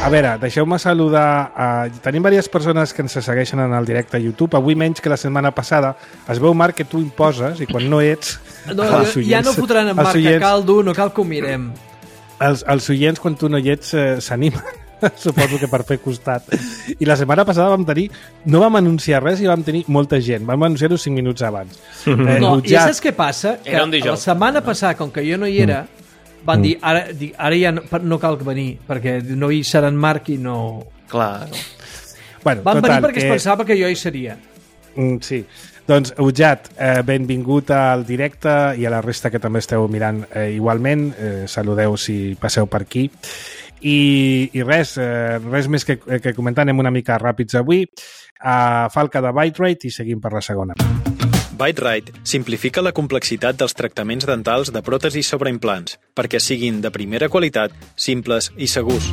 A veure, deixeu-me saludar... A... Tenim diverses persones que ens segueixen en el directe a YouTube. Avui menys que la setmana passada. Es veu, Marc, que tu imposes i quan no ets... No, els ja no fotran en Marc, que cal dur, no cal que ho mirem. Els, els oients, quan tu no hi ets, eh, s'animen. Suposo que per fer costat. I la setmana passada vam tenir... No vam anunciar res i vam tenir molta gent. Vam anunciar-ho cinc minuts abans. Eh, no, i saps què passa? Que la setmana passada, com que jo no hi era... Mm. Van dir, ara, ara ja no, no cal venir, perquè no hi serà en Marc i no... Clar. Bueno, van total, venir perquè que... es pensava que jo hi seria. Mm, sí. Doncs, Ujat, eh, benvingut al directe i a la resta que també esteu mirant eh, igualment. Eh, saludeu si passeu per aquí. I, i res, eh, res més que, que comentar. Anem una mica ràpids avui. Uh, Falca de Byte-Rite i seguim per la segona. Byte-Rite simplifica la complexitat dels tractaments dentals de pròtesis sobre implants perquè siguin de primera qualitat, simples i segurs.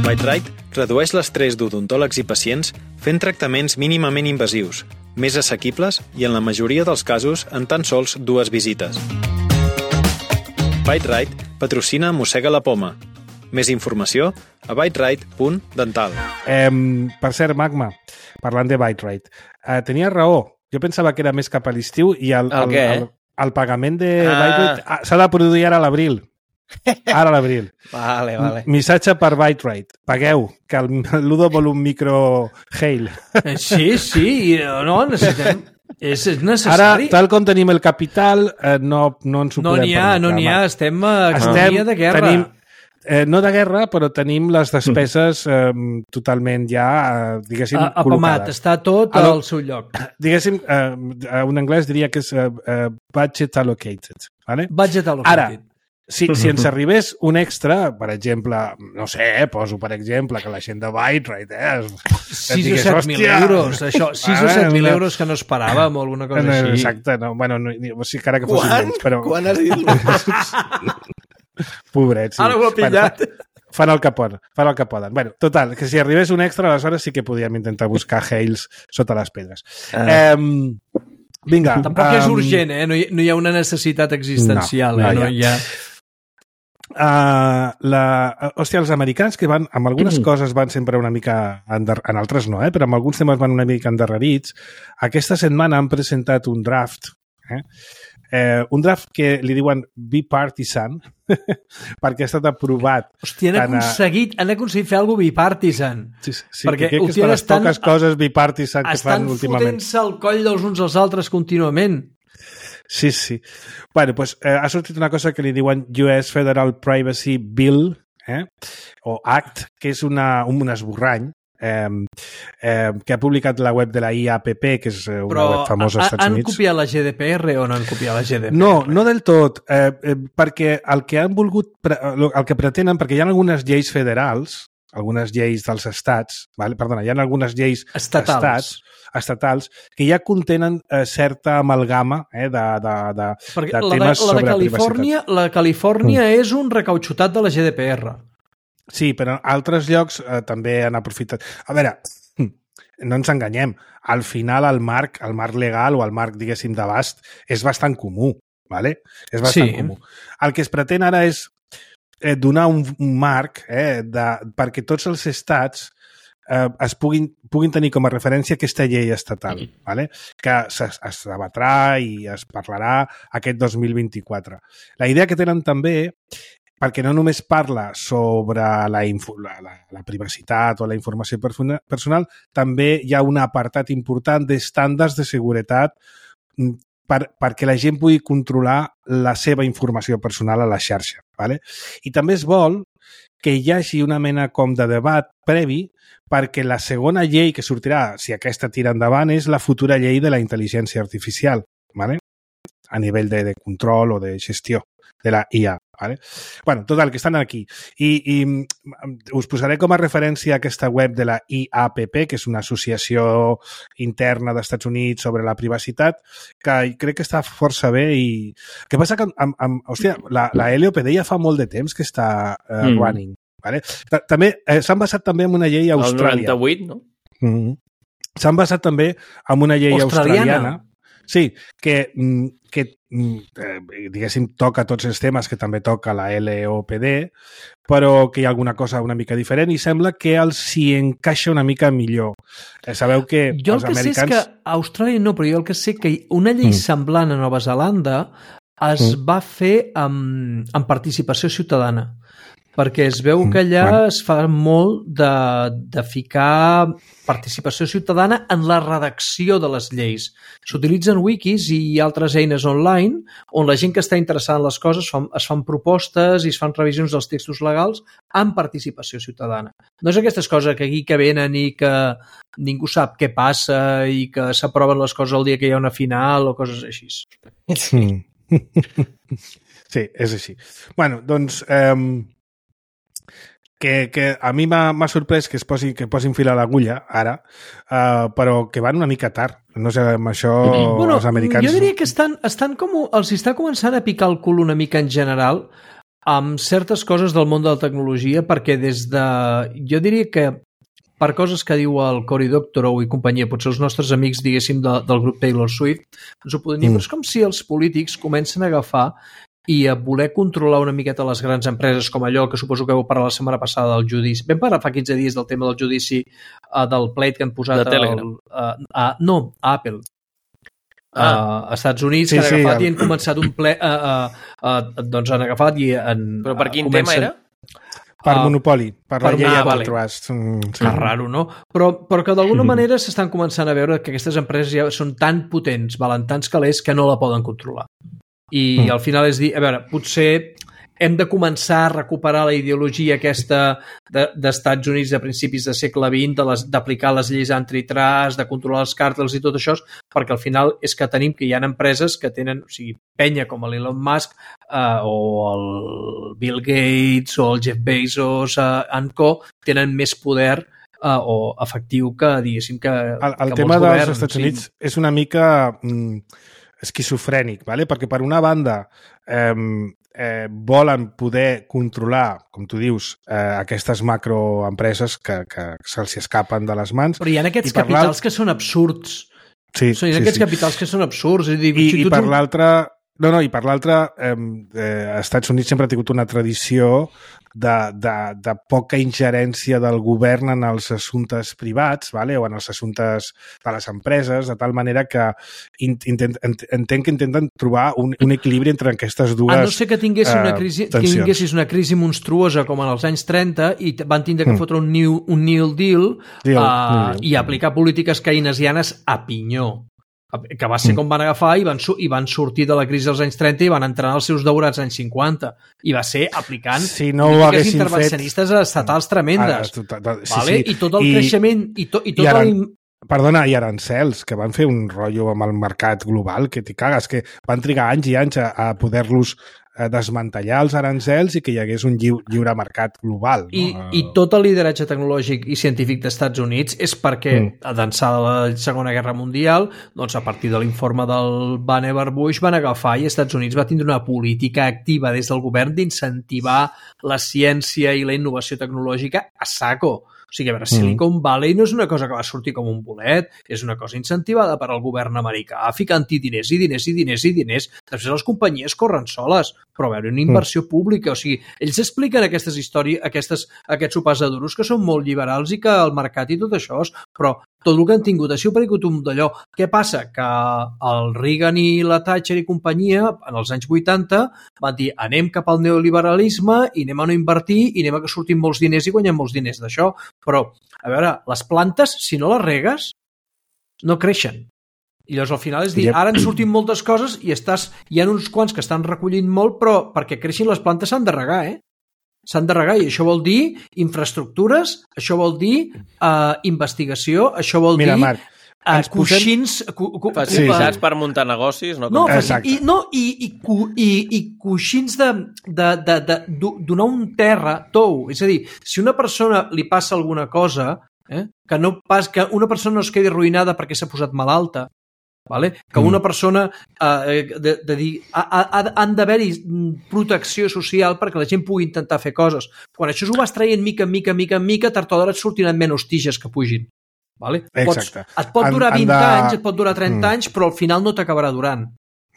Byte-Rite redueix l'estrès d'odontòlegs i pacients fent tractaments mínimament invasius, més assequibles i en la majoria dels casos en tan sols dues visites. Byte-Rite patrocina Mossega la Poma. Més informació a byterite punt dental. Eh, per cert, Magma, parlant de Byte-Rite, eh, tenia raó. Jo pensava que era més cap a l'estiu i el, el, el, el pagament de ah. Byte-Rite s'ha de produir ara a l'abril. Ara a l'abril. Vale, vale. Missatge per Byte-Rite. Pagueu, que el Ludo vol un micro Hail. Sí, sí, no, necessitem... És necessari. Ara, tal com tenim el capital, eh, no, no ens ho no podem ha, permetre. No n'hi ha, estem a economia de guerra. Tenim, eh, no de guerra, però tenim les despeses eh, totalment ja, eh, diguéssim, a, col·locades. Està tot Al, al seu lloc. Diguéssim, eh, un anglès diria que és eh, budget allocated. Vale? Budget allocated. Ara, si, si ens arribés un extra, per exemple, no sé, eh, poso per exemple que la gent de Byte-Rite, eh, sis o set mil euros, això, sis o set mil euros que no esperàvem o alguna cosa no, així. Exacte, no, bueno, no, o sigui, encara que fossin menys, però... Quan has dit? Pobrets, sí. Ara ho ha pillat. Bueno, fan el que poden, fan el que poden. Bueno, total, que si arribés un extra, aleshores sí que podíem intentar buscar Hails sota les pedres. Ah. Um, vinga. Tampoc um, és urgent, eh? No hi, no hi ha una necessitat existencial, no, no, eh? No hi ha... Uh, la, hòstia, els americans que van, amb algunes mm. coses van sempre una mica ender, en altres no, eh? Però amb alguns temes van una mica endarrerits. Aquesta setmana han presentat un draft eh? Eh, un draft que li diuen bipartisan perquè ha estat aprovat. Hòstia, han aconseguit, a... han aconseguit fer alguna cosa bipartisan. Sí, sí, perquè crec que és de les estan, poques coses bipartisan que fan últimament. Estan fotent-se el coll dels uns als altres contínuament. Sí, sí. Bueno, pues eh, ha sortit una cosa que li diuen U S Federal Privacy Bill, eh? o Act, que és una, un esborrany, eh, eh, que ha publicat la web de la I A P P, que és una Però web famosa als Estats han Units. Han copiat la G D P R o no han copiat la G D P R? No, no del tot, eh, eh, perquè el que han volgut, el que pretenen, perquè hi ha algunes lleis federals, algunes lleis dels estats, vale? Perdona, hi ha algunes lleis estatals. Estats, estatals que ja contenen eh, certa amalgama eh, de, de, de, Perquè de la temes de, la sobre de Califòrnia, privacitat. La de Califòrnia mm. és un recautxutat de la G D P R. Sí, però en altres llocs eh, també han aprofitat. A veure, no ens enganyem, al final el marc, el marc legal o el marc, diguéssim, d'abast és bastant comú, ¿vale? És bastant sí. comú. El que es pretén ara és eh, donar un, un marc eh, de, perquè tots els estats eh, es puguin, puguin tenir com a referència aquesta llei estatal, mm. ¿vale? Que es, es debatrà i es parlarà aquest dos mil vint-i-quatre. La idea que tenen també, perquè no només parla sobre la, info, la, la, la privacitat o la informació personal, també hi ha un apartat important d'estàndards de seguretat per, perquè la gent pugui controlar la seva informació personal a la xarxa. ¿Vale? I també es vol que hi hagi una mena com de debat previ perquè la segona llei que sortirà, si aquesta tira endavant, és la futura llei de la intel·ligència artificial, ¿vale? A nivell de, de control o de gestió de la I A, Vale? Bueno, total, que estan aquí. I, I us posaré com a referència aquesta web de la I A P P, que és una associació interna dels Estats Units sobre la privacitat, que crec que està força bé i... El que passa que, amb, amb, hòstia, la, la L O P D ja fa molt de temps que està uh, mm. running. Vale? També eh, s'han basat també en una llei australiana. El noranta-vuit, no? Mm-hmm. S'han basat també en una llei australiana. australiana sí, que, que eh, diguéssim, toca tots els temes que també toca la L O P D, però que hi ha alguna cosa una mica diferent i sembla que els s'hi encaixa una mica millor. Eh, sabeu que jo els el que americans... sé és que a Austràlia no, però jo el que sé que una llei mm. semblant a Nova Zelanda es mm. va fer amb, amb participació ciutadana, perquè es veu que allà bueno. es fa molt de, de ficar participació ciutadana en la redacció de les lleis. S'utilitzen wikis i altres eines online on la gent que està interessada en les coses fan, es fan propostes i es fan revisions dels textos legals amb participació ciutadana. No és aquestes coses que aquí que venen i que ningú sap què passa i que s'aproven les coses el dia que hi ha una final o coses així. Sí, sí és així. Bueno, doncs... Eh... Que, que a mi m'ha sorprès que es posi, que posin fil a l'agulla ara, uh, però que van una mica tard. No sé, amb això bueno, els americans... Jo diria que estan, estan com, els està començant a picar el cul una mica en general amb certes coses del món de la tecnologia, perquè des de... Jo diria que per coses que diu el Cory Doctorow i companyia, potser els nostres amics, diguéssim, de, del grup Taylor Swift, ens ho podem dir, mm. però és com si els polítics comencen a agafar i a voler controlar una miqueta les grans empreses, com allò que suposo que vau parlar la setmana passada del judici. Vam parlar fa quinze dies del tema del judici uh, del plate que han posat de Telegram. Al, uh, a, no, a Apple. Ah. Uh, a Estats Units, sí, que han agafat sí, i han començat un ple... Uh, uh, uh, doncs han agafat i... En, Però per quin uh, comencen... tema era? Per uh, monopoli, per, per la llei ah, antitrust. Vale. Mm, sí. Que raro, no? Però, però que d'alguna mm. manera s'estan començant a veure que aquestes empreses ja són tan potents, valen tants calés, que no la poden controlar. I mm. al final és dir, a veure, potser hem de començar a recuperar la ideologia aquesta d'Estats de, Units de principis del segle vint, d'aplicar les lleis antitrust, de controlar els càrtels i tot això, perquè al final és que tenim que hi ha empreses que tenen, o sigui, penya com l'Elon Musk eh, o el Bill Gates o el Jeff Bezos eh, and co, tenen més poder eh, o efectiu que, diguéssim, que, el, el que tema molts dels governs. Estats Units sí. És una mica... Mm, esquizofrènic, ¿vale? Perquè per una banda eh, eh, volen poder controlar, com tu dius, eh, aquestes macroempreses que, que se'ls escapen de les mans. Però hi ha aquests capitals que són absurds. Sí, o sigui, hi ha sí, aquests sí. capitals que són absurds. I, I, i per l'altra... No, no, i per l'altra, eh, eh, Estats Units sempre ha tingut una tradició de, de, de poca ingerència del govern en els assumptes privats, vale? O en els assumptes de les empreses, de tal manera que intent, entenc que intenten trobar un, un equilibri entre aquestes dues tensions. A no ser que tinguessis una crisi, que tinguessis una crisi monstruosa com en els anys trenta i van tindre que mm. fotre un New, un New Deal, Deal, uh, New Deal i aplicar polítiques keynesianes a pinyó, que va ser com van agafar i van, i van sortir de la crisi dels anys trenta i van entrar als seus daurats anys cinquanta. I va ser aplicant si no polítiques intervencionistes fet... estatals tremendes. Ah, sí, vale? Sí. I tot el I, creixement... I, to, i, tot i, aran... el... Perdona, i arancels, que van fer un rotllo amb el mercat global, que t'hi cagues, que van trigar anys i anys a, a poder-los desmantellar els arancels i que hi hagués un lliure, lliure mercat global. No? I, I tot el lideratge tecnològic i científic dels Estats Units és perquè, mm. d'ençà de la Segona Guerra Mundial, doncs a partir de l'informe del Vannevar Bush van agafar i Estats Units va tindre una política activa des del govern d'incentivar la ciència i la innovació tecnològica a saco. O sigui, a veure, Silicon Valley no és una cosa que va sortir com un bolet, és una cosa incentivada per al govern americà, ficant-hi diners i diners i diners i diners. Després les companyies corren soles, però a veure, una inversió pública. O sigui, ells expliquen aquestes històries, aquestes, aquests sopars de duros que són molt liberals i que el mercat i tot això, però tot el que han tingut ha sigut per un d'allò. Què passa? Que el Reagan i la Thatcher i companyia, en els anys vuitanta, van dir anem cap al neoliberalisme i anem a no invertir i anem a que surtin molts diners i guanyem molts diners d'això. Però, a veure, les plantes, si no les regues, no creixen. I llavors al final és dir, ara han sortit moltes coses i estàs, hi ha uns quants que estan recollint molt, però perquè creixin les plantes s'han de regar, eh? S'han de regar i això vol dir infraestructures, això vol dir uh, investigació, això vol Mira, dir Marc, Uh, coixins... Cu, cu, facilitats sí. per muntar negocis, no? No, i, no i, i, i, i coixins de, de, de, de, de donar un terra tou. És a dir, si una persona li passa alguna cosa, eh, que, no pas, que una persona no es quedi arruïnada perquè s'ha posat malalta, vale? Que una persona eh, de, de dir, ha, ha, han d'haver-hi protecció social perquè la gent pugui intentar fer coses. Quan això ho vas traient mica en mica, mica en mica, tard o d'hora et sortiran menys tiges que pugin. Vale? Pots, et pot durar vint anys, et pot durar trenta mm. anys, però al final no t'acabarà durant.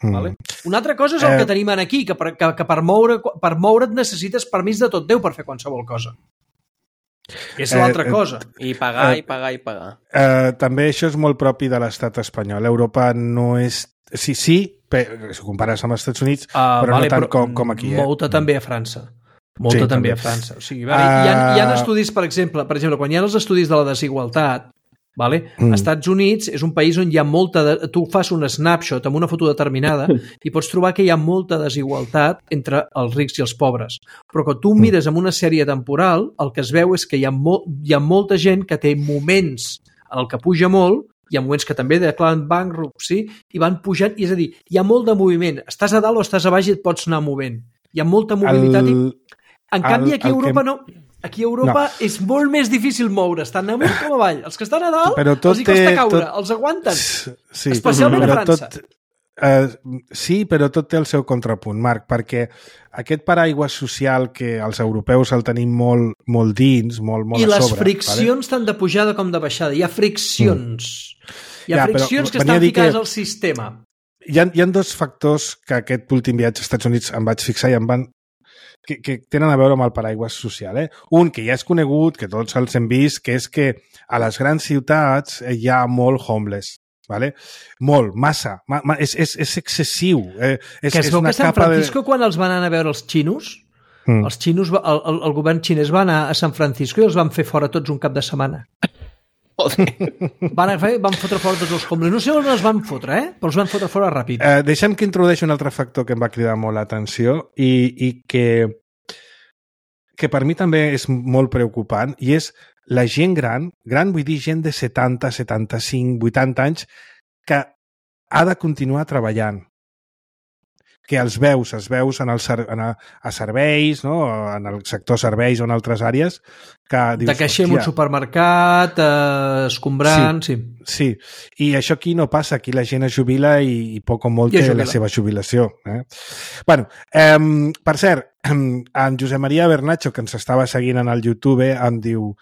Mm. Vale? Una altra cosa és el eh... que tenim aquí, que, per, que, que per, moure, per moure't necessites permís de tot Déu per fer qualsevol cosa. És l'altra eh, cosa. I pagar, eh, i pagar, i pagar. Eh, també això és molt propi de l'estat espanyol. Europa no és... Sí, sí, però, si ho compares amb els Estats Units, uh, però vale, no tant però com, com aquí. Eh? Molta també a França. Molta sí, també, també a França. O sigui, vale, uh... hi, ha, hi ha estudis, per exemple, per exemple, quan hi ha els estudis de la desigualtat, vale? Mm. Als Estats Units és un país on hi ha molta... De... Tu fas un snapshot amb una foto determinada i pots trobar que hi ha molta desigualtat entre els rics i els pobres. Però quan tu mires amb una sèrie temporal, el que es veu és que hi ha, mo... hi ha molta gent que té moments en el que puja molt, hi ha moments que també declaren bankruptcy i van pujant, i és a dir, hi ha molt de moviment. Estàs a dalt o estàs a baix i et pots anar movent. Hi ha molta mobilitat el... i... En canvi, aquí a Europa que... no... Aquí a Europa no. És molt més difícil moure, estan amunt com avall. Els que estan a dalt, els hi costa caure, tot... els aguanten. Sí. Especialment a França. Tot, uh, sí, però tot té el seu contrapunt, Marc, perquè aquest paraigua social que els europeus el tenim molt, molt dins, molt, molt I a sobre... I les friccions vale? Tant de pujada com de baixada. Hi ha friccions. Mm. Hi ha ja, friccions que estan ficades que... al sistema. Hi ha, hi ha dos factors que aquest últim viatge als Estats Units em vaig fixar i em van Que, que tenen a veure amb el paraigua social. Eh? Un, que ja és conegut, que tots els hem vist, que és que a les grans ciutats hi ha molt homeless. Vale? Molt, massa. Ma, ma, és, és, és excessiu. Eh? És, que es veu que a San Francisco, de... quan els van anar a veure els xinos, mm. els xinos el, el, el govern xinès va anar a San Francisco i els van fer fora tots un cap de setmana. van, fer, van fotre fora tots els homeless. No sé on els van fotre, eh? Però els van fotre fora ràpid. Eh, deixa'm que introdueixi un altre factor que em va cridar molt l'atenció i, i que, que per mi també és molt preocupant, i és la gent gran, gran vull dir gent de setanta, setanta-cinc, vuitanta anys, que ha de continuar treballant. Que els veus, els veus en el, en a, a serveis, no? En el sector serveis o en altres àrees, que dius, de caixer en un supermercat, eh, escombrant... Sí, sí, sí. I això aquí no passa. Aquí la gent es jubila i, i poc o molt té la seva jubilació. Eh? Bueno, eh, per cert, en Josep Maria Bernacho, que ens estava seguint en el YouTube, em diu: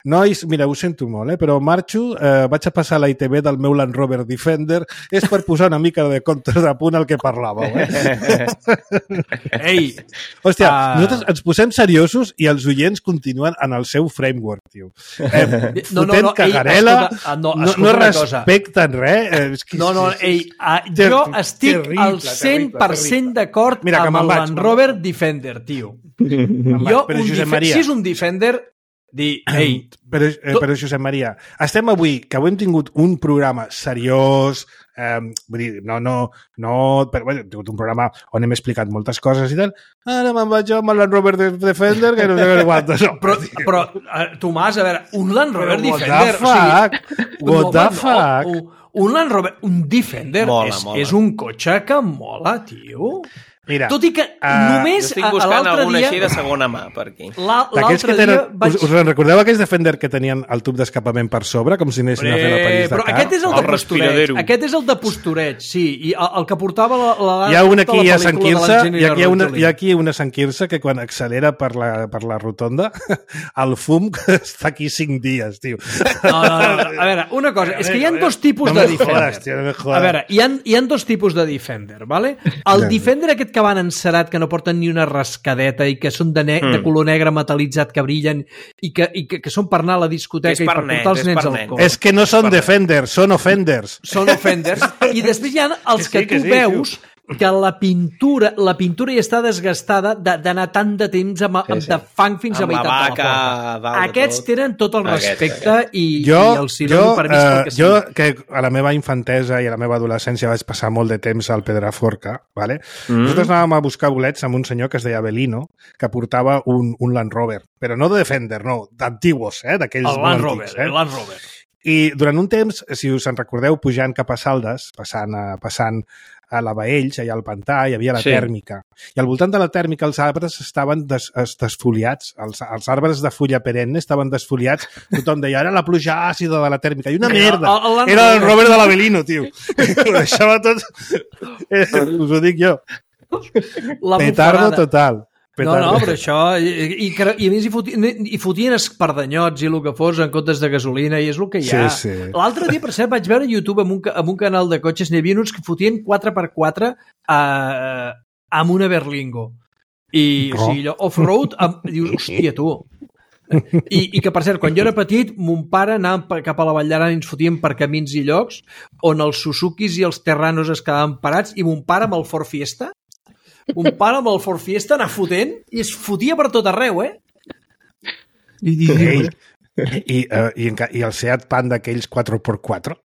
nois, mira, ho sento molt, eh, però marxo, eh, vaig a passar a la I T V del meu Land Rover Defender, és per posar una mica de comptes de punt al que parlàveu. Eh? Ei! Hòstia, uh... nosaltres ens posem seriosos i els oients continuen en el seu framework, tio. Eh, no, no, no, cagarela, ei, escolta, no, no, no respecten res. Eh, és que, no, no, ei, uh, ter jo estic terrible, al cent per cent d'acord amb el Land Rover Defender, tio. Jo, un si és un Defender... Dir, ei, però, eh, però Josep Maria, estem avui, que avui hem tingut un programa seriós, eh, vull dir, no, no, no, però bueno, hem tingut un programa on hem explicat moltes coses i tal, ara me'n vaig amb el Land Rover Defender, que no sé què quantes. No, però, però uh, Tomàs, a veure, un Land Rover però Defender... What the fuck? O sigui, what the fuck? No, un, un Land Rover, un Defender mola, és, mola. És un cotxe que mola, tio. Mira, tot i que uh, només jo estic buscant alguna dia... així de segona mà per aquí. L'altre dia vaig... Us, us recordeu aquells Defender que tenien el tub d'escapament per sobre, com si anessin a fer la París-Dakar? Però aquest és el, el de postureig. Aquest és el de postureig, sí. I el, el que portava la, la, hi ha una aquí a Sant Quirze, i aquí hi ha una, hi ha aquí una Sant Quirze que quan accelera per la, per la rotonda, el fum està aquí cinc dies, tio. No, no, no. A veure, una cosa, és que hi ha dos tipus no de Defender. Jodes, tio, no a veure, hi ha, hi ha dos tipus de Defender, vale? El Defender aquest que van encerat, que no porten ni una rascadeta i que són de, ne mm. de color negre metal·litzat, que brillen i que, i que, que són per anar a la discoteca i per net, portar els nens al cor. És que no són Defenders, són Offenders. Són Offenders. I després hi ha els que, que tu sí, veus tio. Que la pintura la pintura ja està desgastada d'anar tant de temps amb, amb de fang fins amb a meitat vaca, de la porta. Aquests tot. Tenen tot el respecte aquest, aquest. I, jo, i el sinonim per mi és pel que jo, sí. que a la meva infantesa i a la meva adolescència vaig passar molt de temps al Pedraforca, ¿vale? Mm. Nosaltres anàvem a buscar bolets amb un senyor que es deia Belino, que portava un, un Land Rover, però no de Defender, no, d'antiguos, eh? D'aquells el Land Rover, eh? El Land Rover. I durant un temps, si us en recordeu, pujant cap a Saldes, passant a, passant a la Baells, allà al pantà, hi havia la Sí. tèrmica. I al voltant de la tèrmica els arbres estaven des, es, desfoliats, els, els arbres de fulla perenne estaven desfoliats. Tothom deia, era la pluja àcida de la tèrmica. I una merda! El- el- el- Era el Robert de l'Avelino, tio. Ho deixava tot... Eh, us ho dic jo. La Petardo bufarada. total. No, no, però això... I, i, i a més hi fotien, hi fotien espardanyots i el que fos en comptes de gasolina i és el que hi ha. Sí, sí. L'altre dia, per cert, vaig veure a YouTube amb un, ca- amb un canal de cotxes, n'hi havia uns que fotien quatre per quatre a, amb una Berlingo. I, Oh. o sigui, allò, off-road, amb, dius, hòstia, tu. I, I que, per cert, quan jo era petit, mon pare anàvem per- cap a la Vall d'Aran i ens fotíem per camins i llocs on els Suzukis i els Terranos es quedaven parats i mon pare amb el Ford Fiesta un pare amb el Ford Fiesta anar fotent i es fotia per tot arreu, eh? I, i, Ei, i, uh, i, enca- I el Seat Panda aquells quatre per quatre?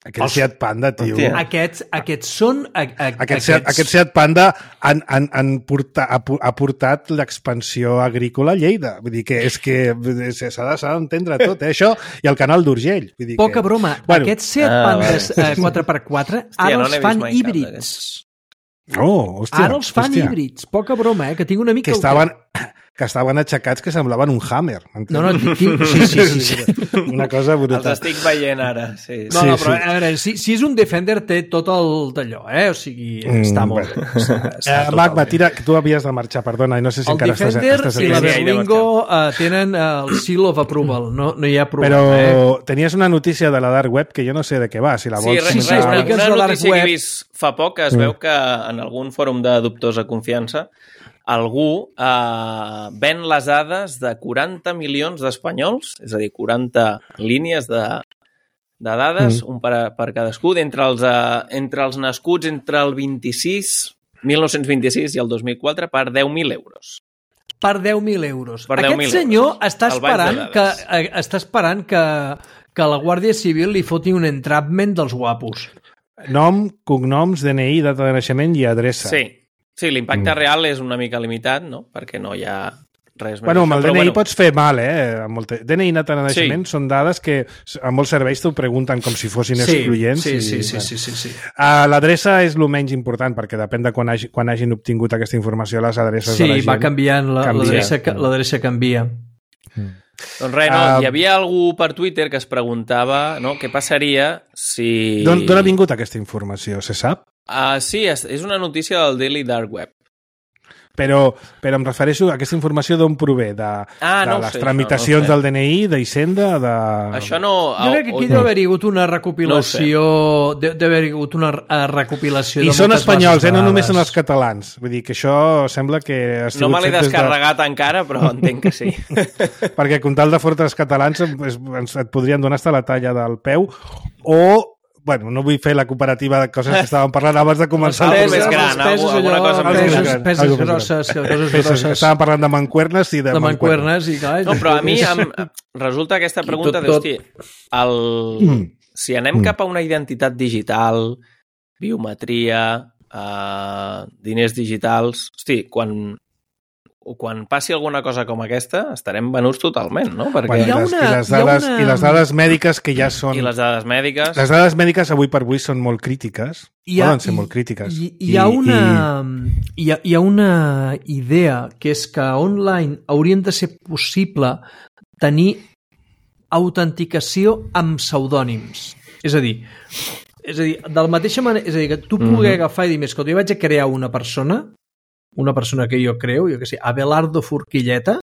Aquell Els- Seat Panda, tio. Hòstia. aquests, aquests són... A, a, Aquest Seat, aquest Seat Panda han, han, han porta, ha, pu- ha portat l'expansió agrícola a Lleida. Vull dir que és que s'ha de- s'ha d'entendre tot, eh? Això i el canal d'Urgell. Vull dir Poca que... broma. Bueno. Aquests Seat Ah, Pandas eh, quatre per quatre Hòstia, ara no els n'he vist fan mai cap híbrids. d'aquests. Oh, hòstia. Ara els fan hòstia. híbrids. Poca broma, eh? Que tinc una mica... Que estaven, que estaven aixecats que semblaven un Hammer. No, no, tinc... Sí, sí, sí. sí. Una cosa Els brutal. estic veient ara, sí. No, no, Sí, però sí. a veure, si, si és un Defender té tot el d'allò, eh? O sigui, Mm, està molt bueno. bé. Està, Eh, està Magma, totalment. tira, que tu havies de marxar, perdona, i no sé si El encara estàs, Defender estàs i la aquí. Sí, sí, Berlingo uh, tenen uh, el seal of approval. No, no hi ha problema, Però eh? tenies una notícia de la Dark Web que jo no sé de què va, si la Sí, vols... res, sí, res, sí, una, explica'ns una la dark notícia que web. he vist fa poc, que es Mm. veu que en algun fòrum de dubtosa confiança algú eh, ven les dades de quaranta milions d'espanyols, és a dir, quaranta línies de, de dades, Mm. un per, per cadascú, d'entre els, eh, entre els nascuts entre el vint-i-sis, mil nou-cents vint-i-sis i el dos mil quatre per deu mil euros. Per deu mil euros. Per deu Aquest mil senyor euros. està El bany de esperant, que, dades. eh, està esperant que, que la Guàrdia Civil li foti un entrapment dels guapos. Nom, cognoms, D N I, data de naixement i adreça. Sí, sí l'impacte Mm. real és una mica limitat, no? Perquè no hi ha res més. Bueno, amb el Però, D N I bueno, pots fer mal, eh? Amb el D N I i data de naixement Sí. són dades que a molts serveis t'ho pregunten com si fossin excloents. sí, i, sí, sí, bueno. sí, sí, sí. Uh, L'adreça és el menys important, perquè depèn de quan, hagi, quan hagin obtingut aquesta informació, les adreces Sí, de la gent. va canviant, la- canvia. l'adreça ca- l'adreça canvia. Doncs res, no, Ah, hi havia algú per Twitter que es preguntava no, què passaria si... D'on d'on ha vingut aquesta informació, se sap? Uh, sí, és, és una notícia del Daily Dark Web. Però, però em refereixo a aquesta informació d'on prové, de, Ah, de no ho les sé, tramitacions això no ho del D N I, d'Hisenda, de... Això no... Jo crec que aquí o- deu haver-hi hagut una recopilació... Deu deu haver-hi hagut una eh, recopilació I de són moltes espanyols, bases eh? de No només són dades. els catalans. Vull dir que això sembla que... ha No sigut me l'he fet des de- descarregat encara, però entenc que sí. Perquè com tal de fortes catalans es, ens, et podrien donar hasta la talla del peu o, bueno, no vull fer la comparativa de coses que estàvem parlant abans de començar. Pesos el més programa. gran, els pesos, alguna allò, cosa més pesos, gran. pesos Algo més grosses, coses Pesos, grosses estàvem parlant de mancuernes i de, de mancuernes i clar... No, però a mi em, resulta aquesta pregunta tot, de, tot. hosti, el, Mm. si anem Mm. cap a una identitat digital, biometria, eh, diners digitals, hosti, quan, quan passi alguna cosa com aquesta, estarem venuts totalment, no? Perquè... Bueno, Hi ha i, les, una- i, les hi ha dades, una- I les dades mèdiques que ja són... I les dades mèdiques... Les dades mèdiques avui per avui són molt crítiques. Hi ha- Poden ser hi- molt crítiques. Hi, hi, ha una, hi, ha, hi ha una idea que és que online haurien de ser possible tenir autenticació amb pseudònims. És a dir, és a dir, de la mateixa manera, és a dir, que tu pugui Mhm. agafar i dir, més que jo vaig a crear una persona, una persona que jo creo, jo que sé, Abelardo Forquilleta,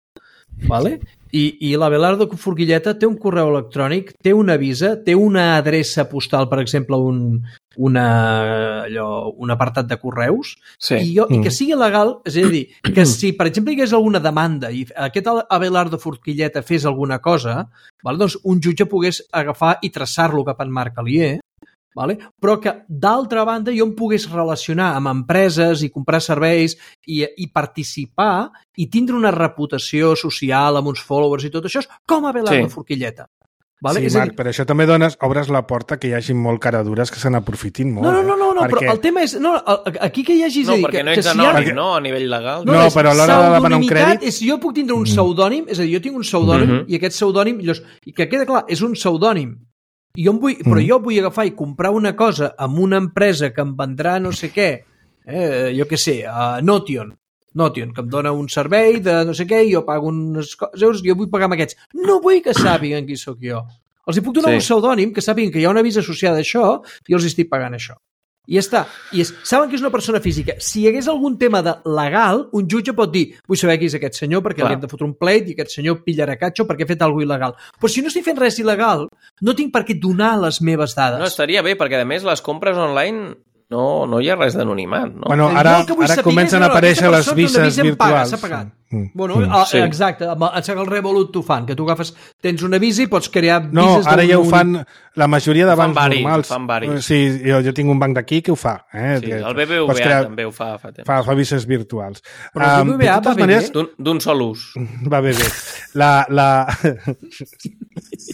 vale? I, i l'Abelardo Forquilleta té un correu electrònic, té una visa, té una adreça postal, per exemple, un, una, allò, un apartat de correus, Sí. i, jo, i que Mm. sigui legal, és a dir, que si, per exemple, hi hagués alguna demanda i aquest Abelardo Forquilleta fes alguna cosa, vale, doncs un jutge pogués agafar i traçar-lo cap en Marc Alier, vale? Però que, d'altra banda, jo em pogués relacionar amb empreses i comprar serveis i, i participar i tindre una reputació social amb uns followers i tot això, com Abelardo Sí. Forquilleta. Vale? Sí, És a Marc, dir, però això també dones, obres la porta que hi hagi molt caradures que se n'aprofitin molt. no, no, no, no, no eh? però Perquè- el tema és... No, a- aquí que hi hagi... és No, a dir, perquè que, no que ets si hi ha- anònim, no? A nivell legal. No, és però a l'hora de demanar un pseudonimitat crèdit- És, jo puc tindre un pseudònim, és a dir, jo tinc un pseudònim Mhm. i aquest pseudònim, llavors, i que queda clar, és un pseudònim, Jo em vull, però jo vull agafar i comprar una cosa amb una empresa que em vendrà no sé què, eh, jo què sé, a Notion, Notion, que em dona un servei de no sé què i jo pago uns euros i jo vull pagar amb aquests. No vull que sàpiguen qui sóc jo. Els hi puc donar sí. un pseudònim que sàpiguen que hi ha una visa associada a això i els estic pagant això. I ja està. I és, saben que és una persona física. Si hi hagués algun tema de legal, un jutge pot dir, vull saber qui és aquest senyor perquè Clar. li hem de fotre un pleit i aquest senyor pillarà catxo perquè ha fet alguna cosa il·legal. Però si no estic fent res il·legal, no tinc per què donar les meves dades. No, estaria bé, perquè a més les compres online no, no hi ha res d'anonimat. No? Bueno, ara, ara comencen a aparèixer les vises virtuals. S'ha pagat. Mm. Bueno, mm. Sí. Exacte, el Revolut t'ho fan, que tu agafes, tens una visa i pots crear vises... No, ara ja ho fan la majoria de bancs vari, normals. Fan varis. Sí, jo, jo tinc un banc d'aquí que ho fa. Eh? Sí, el B B V A crear... també ho fa fa temps. Fa, fa vises virtuals. Però el B B V A um, va bé maneres... d'un sol ús. Va bé bé. La... la...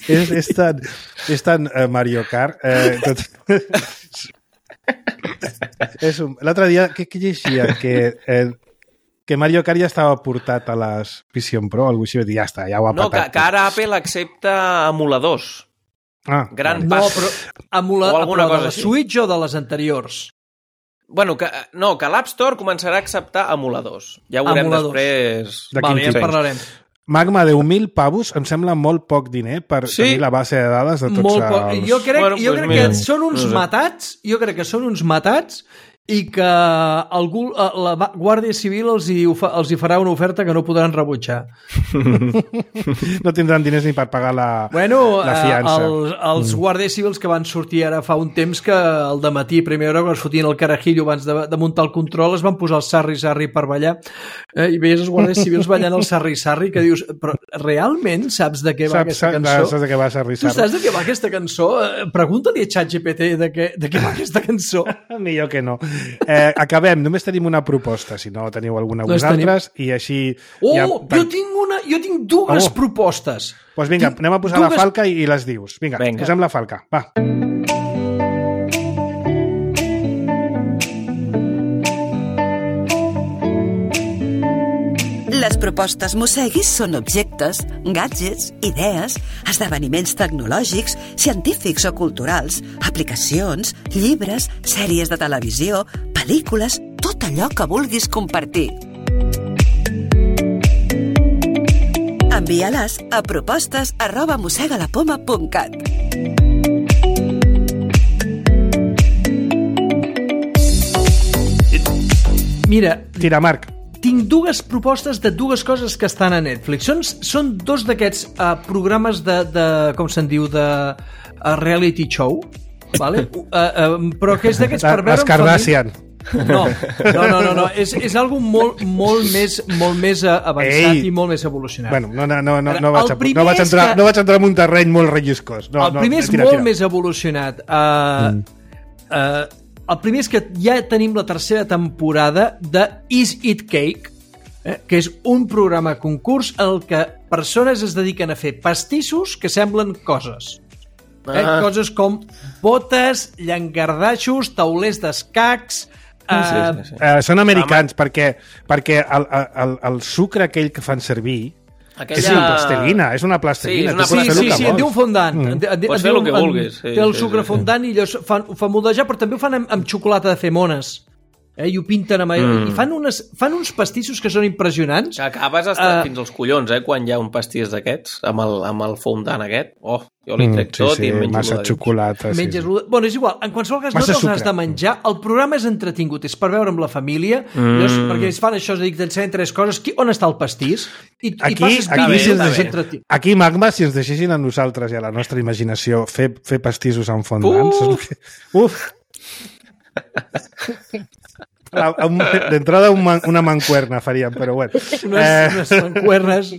és, és tan, és tan uh, Mario Kart. Eh, tot... L'altre dia, què, què llegia? Que, eh, que Mario Kart ja estava portat a les Vision Pro, algú així, i ja està, ja ho ha no, patat. No, que, que ara Apple accepta emuladors. Ah, Gran no, pas. Però, emula... o alguna però cosa de la així. Switch o de les anteriors? Bueno, que, no, que l'App Store començarà a acceptar emuladors. Ja ho veurem emuladors. després. De vale, ja en parlarem. Magma, deu mil pavos em sembla molt poc diner per sí. tenir la base de dades de tots molt els... Poc. Jo crec, bueno, jo pues crec mira, que són uns no sé. matats, jo crec que són uns matats i que algú, la Guàrdia Civil els hi, els hi farà una oferta que no podran rebutjar. No tindran diners ni per pagar la, bueno, la fiança. Els, els mm. Guàrdies Civils que van sortir ara fa un temps que al dematí, a primera hora, quan es fotien el carajillo abans de, de muntar el control, es van posar el sarri-sarri per ballar eh, i veies els Guàrdies Civils ballant el sarri-sarri que dius, però realment saps de què va saps, aquesta cançó? Saps de què va sarri-sarri? Tu saps de què va aquesta cançó? Pregunta-li a ChatGPT de, què, de què va aquesta cançó. Millor que no. Eh, acabem, només tenim una proposta, si no teniu alguna no vosaltres, tenim... i així... Oh, ja... jo tinc una, jo tinc dues oh. propostes. Doncs pues vinga, tinc anem a posar dues... la falca i, i les dius. Vinga, vinga, posem la falca, va. Les propostes Mosseguis són objectes, gadgets, idees, esdeveniments tecnològics, científics o culturals, aplicacions, llibres, sèries de televisió, pel·lícules, tot allò que vulguis compartir. Envia-les a propostes arroba mossegalapoma punt cat. Mira, tira, Marc. Tinc dues propostes de dues coses que estan a Netflix. Són, són dos d'aquests uh, programes de, de, com se'n diu, de uh, reality show, vale? uh, uh, però que és d'aquests per veure... Les Kardashian. No, no, no, no, no. És, és algo molt, molt més, molt més avançat Ei. i molt més evolucionat. Bueno, no, no, no, no, no, vaig, a, no, vaig, entrar, que... no vaig entrar en un terreny molt relliscós. No, el primer no, és tira, molt tira. més evolucionat. Uh, mm. uh, El primer és que ja tenim la tercera temporada de Is It Cake, eh, que és un programa concurs en el que persones es dediquen a fer pastissos que semblen coses. Eh? Ah. Coses com botes, llangardaixos, taulers d'escacs... Uh, sí, sí, sí. Uh, són americans, ah, perquè, perquè el, el, el sucre aquell que fan servir Aquella... és una plastelina, és una plastelina. Sí, una... sí, sí, sí, sí, en diu fondant. Mm. Pots fer el que vulguis. Sí, té el sucre sí, sí, fondant i ho fan, ho fan moldejar, però també ho fan amb, amb xocolata de fer mones. Eh, i ho pinten amb... Mm. I fan, unes, fan uns pastissos que són impressionants. Que acabes estar uh, fins als collons, eh, quan hi ha un pastís d'aquests, amb el, amb el fondant aquest. Oh, jo li trec mm, sí, tot sí, i menjo massa xocolata. Menges Sí, sí. Bueno, és igual, en qualsevol cas massa no te'ls has de menjar. El programa és entretingut, és per veure amb la família, mm. llavors, perquè ells fan això, dic, t'ensenyen tres coses. Qui, on està el pastís? I, aquí, i passes aquí, bé, si deixi, aquí, Magma, si ens deixessin a nosaltres i a la nostra imaginació fer, fer pastissos amb fondants... Uh. Uf! D'entrada una mancuerna faríem, però bueno. Unes, eh... unes mancuernes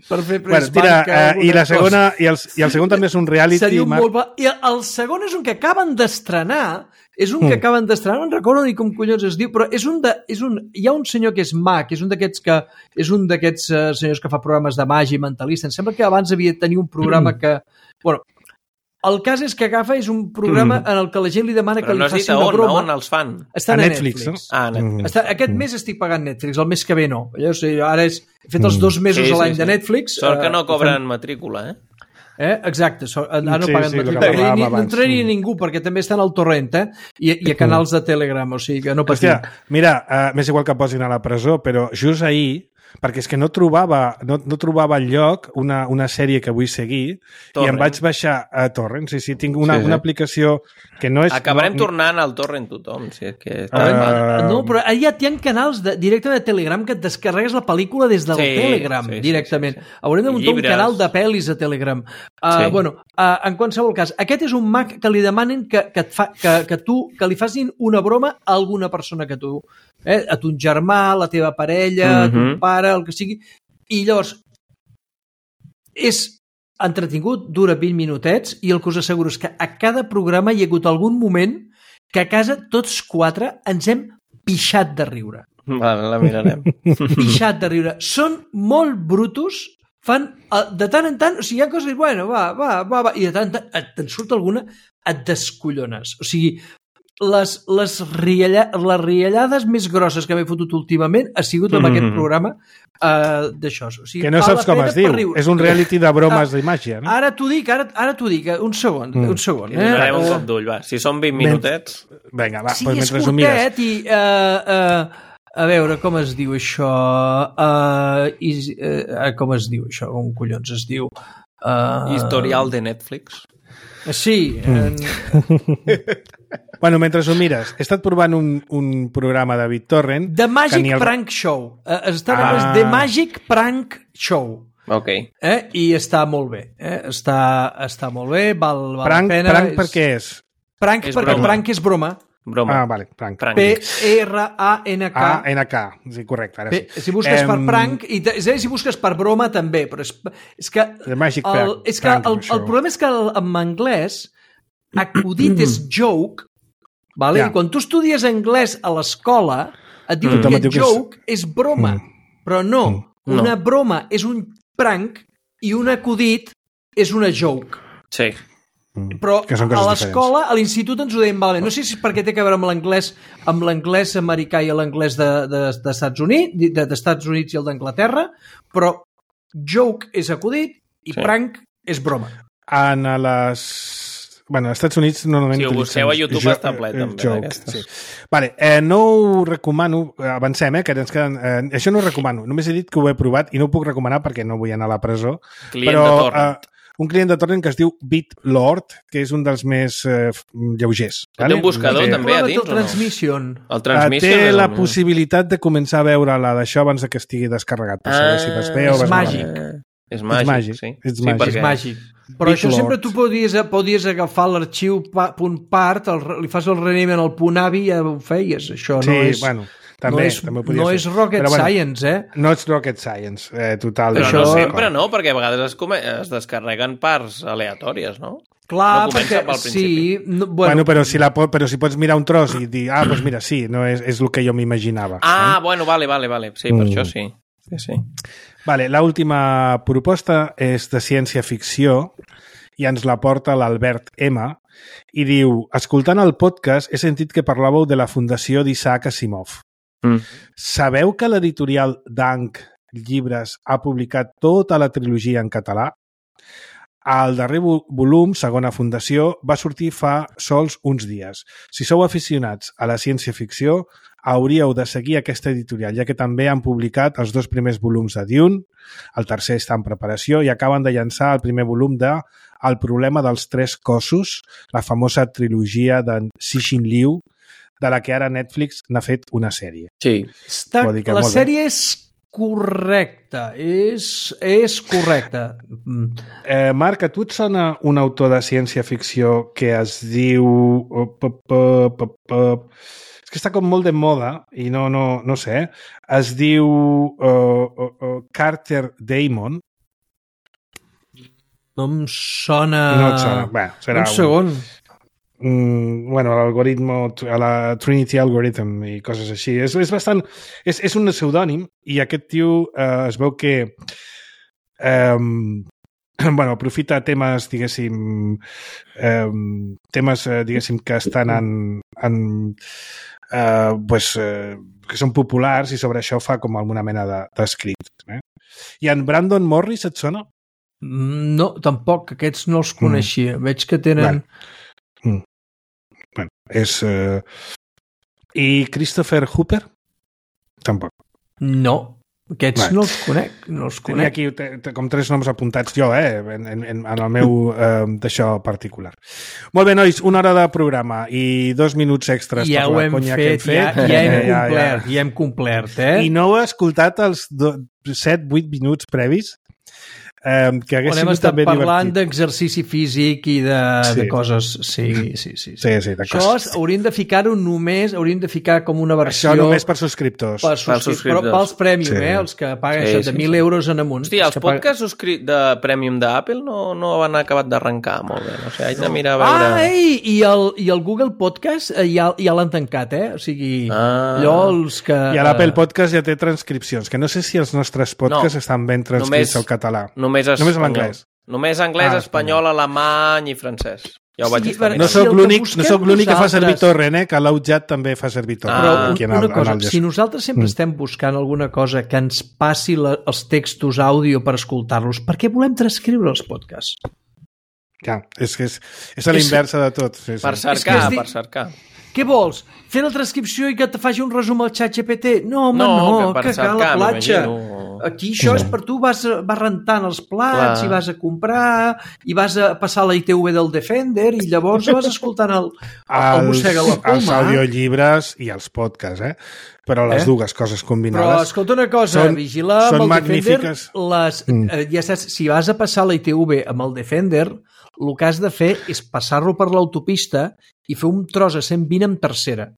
per fer bueno, tira, eh, i la segona i el, i el segon també és un reality. Seria un molt... I el segon és un que acaben d'estrenar, és un que mm. acaben d'estrenar, no recordo ni com collons es diu, però és un de, és un, hi ha un senyor que és mag, és un d'aquests que és un d'aquests uh, senyors que fa programes de màgia i mentalista. Em sembla que abans havia de tenir un programa mm. que... Bueno, el cas és que agafa és un programa mm. en el que la gent li demana però que no li faci una on, broma. on els fan? Estan a a Netflix. Netflix. No? Ah, Netflix. Està, aquest mm. mes estic pagant Netflix, el mes que ve no. Jo sé, ara és, he fet els dos mesos sí, a l'any sí, sí. de Netflix. Sort que no cobren uh, matrícula, eh? Eh? Exacte, so, ara no Sí, paguen sí, el que matrícula. parlàvem Ni, no abans. entraria ningú, perquè també estan al torrent, eh? I, i a canals de Telegram, o sigui que no patim. Hòstia, mira, uh, m'és igual que posin a la presó, però just ahir, perquè és que no trobava, no, no trobava lloc una, una sèrie que vull seguir Torrent. i em vaig baixar a Torrent. Sí, sí, tinc una, Sí, sí. una aplicació que no és... Acabarem no, tornant al torrent tothom. Si és que... Uh, No, però ara ja hi ha canals de, directament de Telegram que et descarregues la pel·lícula des del Sí, Telegram, sí, sí, directament. sí, sí. Haurem de muntar un Llibres. canal de pel·lis a Telegram. Uh, Sí. Bueno, uh, en qualsevol cas, aquest és un Mac que li demanen que, que, et fa, que, que tu que li facin una broma a alguna persona que tu... Eh, a ton germà, la teva parella, a ton Mhm. pare, el que sigui. I llavors, és entretingut, dura vint minutets, i el que us asseguro és que a cada programa hi ha hagut algun moment que a casa tots quatre ens hem pixat de riure. Vale, la mirarem. Pixat de riure. Són molt brutos, fan eh, de tant en tant, o sigui, hi ha coses, bueno, va, va, va, va, i de tant en tant et- te'n surt alguna, et descollones. O sigui, les, les, rialla, les riallades més grosses que m'he fotut últimament ha sigut amb Mhm. aquest programa uh, d'això. O sigui, que no val saps la com pena es diu. per riure. És un reality de bromes Ah, d'imàgia, no? Ara t'ho dic, ara, ara t'ho dic, eh, un segon, Mm. un segon. Li donarem un Eh, cop d'ull, va. Si són vint minutets... Vinga, va, sí, doncs és mentre ho mires. curtet i... Uh, uh, a veure, com es diu això? Uh, is, uh, com es diu això? Com collons es diu? Uh, Historial de Netflix. Sí. Mm. En... Bueno, mentre ho mires, he estat provant un, un programa de BitTorrent... The que Magic ni el- Prank Show. Uh, està Ah. ah. The Magic Prank Show. Ok. Eh? I està molt bé. Eh? Està, està molt bé, val, val Prank, la pena. prank per què és? Prank És perquè broma. prank és broma. Broma. Ah, vale, prank. Prank. P R A N K. A, N K. Sí, correcte, ara sí. Bé, si busques Em, per prank, i te, és a dir, si busques per broma també, però és, és que, The Magic el, Prank- és que Prank el, Show. el problema és que el, en anglès acudit és joke, vale? Ja. I quan tu estudies anglès a l'escola et diuen Tothom et que diu que és- joke és broma, però no, Mm. una broma és un prank i un acudit és una joke. Sí. Però Que són a coses l'escola, a l'institut ens ho deien malament. No sé si és perquè té a veure amb l'anglès amb l'anglès americà i l'anglès de, de, de Estats Units, de, d'Estats Units i el d'Anglaterra, però joke és acudit i Sí. prank és broma. En a les... Bueno, als Estats Units normalment... Si ho busqueu a utilitzen YouTube jo- està ple, eh, també, jokes, d'aquestes. sí. Vale, eh, no ho recomano, avancem, eh, que ens queden... Eh, això no ho recomano, només he dit que ho he provat i no ho puc recomanar perquè no vull anar a la presó. Client però, de torrent. Eh, un client de torrent que es diu BitLord, que és un dels més eh, lleugers. Té un buscador, Que- també, a Programa dins, del o no? Transmission. El Eh, Transmission... té és la el- possibilitat de començar a veure la d'això abans de que estigui descarregat, per saber si vas bé o és vas màgic. malament. És màgic, màgic, sí. és sí, màgic. perquè... És màgic. Però Big això Lord. sempre tu podies, podies agafar l'arxiu pa, punt part, el, li fas el renament al punt avi i ja ho feies. Això Sí, no és, bueno, també, no és, també ho podies no fer. és rocket Però, bueno, science, eh? No és rocket science, eh, total. Però Això- no sempre, no? Perquè a vegades es, come... es descarreguen parts aleatòries, no? Clar, No comença perquè pel sí, no, Bueno, bueno, bueno però, si la, po- però si pots mirar un tros i dir, ah, doncs mira, sí, no és, és el que jo m'imaginava. Ah, eh? bueno, vale, vale, vale. Sí, per Mm. això sí. Sí, sí. Vale, l'última proposta és de ciència-ficció i ens la porta l'Albert M i diu, escoltant el podcast he sentit que parlàveu de la fundació d'Isaac Asimov. Mm. Sabeu que l'editorial Dank Llibres ha publicat tota la trilogia en català? El darrer vo- volum, segona fundació, va sortir fa sols uns dies. Si sou aficionats a la ciència-ficció, hauríeu de seguir aquesta editorial, ja que també han publicat els dos primers volums de Dune, el tercer està en preparació i acaben de llançar el primer volum de El problema dels tres cossos, la famosa trilogia d'en Cixin Liu, de la que ara Netflix n'ha fet una sèrie. Sí. està, vol dir que la molt bé. sèrie és correcta, és, és correcta. Mm. Eh, Marc, a tu et sona un autor de ciència-ficció que es diu... oh, pop, pop, pop, pop. És que està com molt de moda i no, no, no sé. Es diu uh, uh, uh, Carter Damon. No em sona... No et sona. Bé, serà un segon. Mm, bueno, l'algoritmo, a la Trinity Algorithm i coses així. És, és bastant... És, és un pseudònim i aquest tio eh, es veu que eh, bueno, aprofita temes, diguéssim, eh, temes, eh, diguéssim, que estan en... en eh, pues, eh, que són populars i sobre això fa com alguna mena de- d'escrit. Eh? I en Brandon Morris et sona? No, tampoc, aquests no els coneixia. Mm. Veig que tenen... Bueno, mm. bueno és... Uh... I Christopher Hooper? Tampoc. No, aquests bueno. no els conec. No els Tenia conec. aquí t- t- com tres noms apuntats jo, eh, en, en, en el meu uh, d'això particular. Molt bé, nois, una hora de programa i dos minuts extras Ja per ho la hem conya fet, que hem fet. ja, ja hem Eh, complert, ja hem complert, eh? I no heu escoltat els set vuit minuts previs? Um, que hagués On hem sigut estat també parlant divertit. d'exercici físic i de, Sí. de coses... Sí, sí, sí. sí. Sí, sí, de Això coses. es- hauríem de ficar-ho només, hauríem de ficar com una versió... Això només per subscriptors. per Pels subscriptors. subscriptors. Però pels premium, Sí. eh? Els que paguen Sí, això sí, de mil sí. euros en amunt. Hòstia, els que paguen- podcasts subscrit de Premium d'Apple no, no han acabat d'arrencar molt bé. No sé, haig de mirar a veure... Ah, ei, i el, i el Google Podcast eh, ja, ja l'han tancat, eh? O sigui, Ah. allò els que... I a l'Apple Podcast ja té transcripcions, que no sé si els nostres podcasts No, estan ben transcrits només- al català. Només, Només espanyol. l'anglès. Només anglès, Ah, espanyol, alemany i francès. Ja ho vaig Sí, estar per- No mirant. Si el sóc que l'únic busquem no sóc l'únic que fa servir nosaltres- Torrent, eh? Que l'Outjat també fa servir Torrent. Però Ah, aquí en una el, cosa, en el si nosaltres sempre Mm. estem buscant alguna cosa que ens passi la, els textos àudio per escoltar-los, per què volem transcriure els podcasts? Ja, és que és, és a l'inversa de tot. Sí, sí. Per És que cercar, és di- per cercar. Què vols? Fer la transcripció i que te faci un resum al xat G P T? No, home, No, no, que per que cal la cercar, platja. m'imagino. Aquí això és per tu, vas, vas rentant els plats Clar. i vas a comprar i vas a passar la I T V del Defender i llavors vas escoltant el, el, el mossega la els poma. audiollibres i els podcasts, eh? Però les Eh? dues coses Però combinades... escolta una cosa, són- vigila són amb el Defender, magnífiques. les, Mm. eh, ja saps, si vas a passar la I T V amb el Defender, el que has de fer és passar-lo per l'autopista i fer un tros a cent vint en tercera,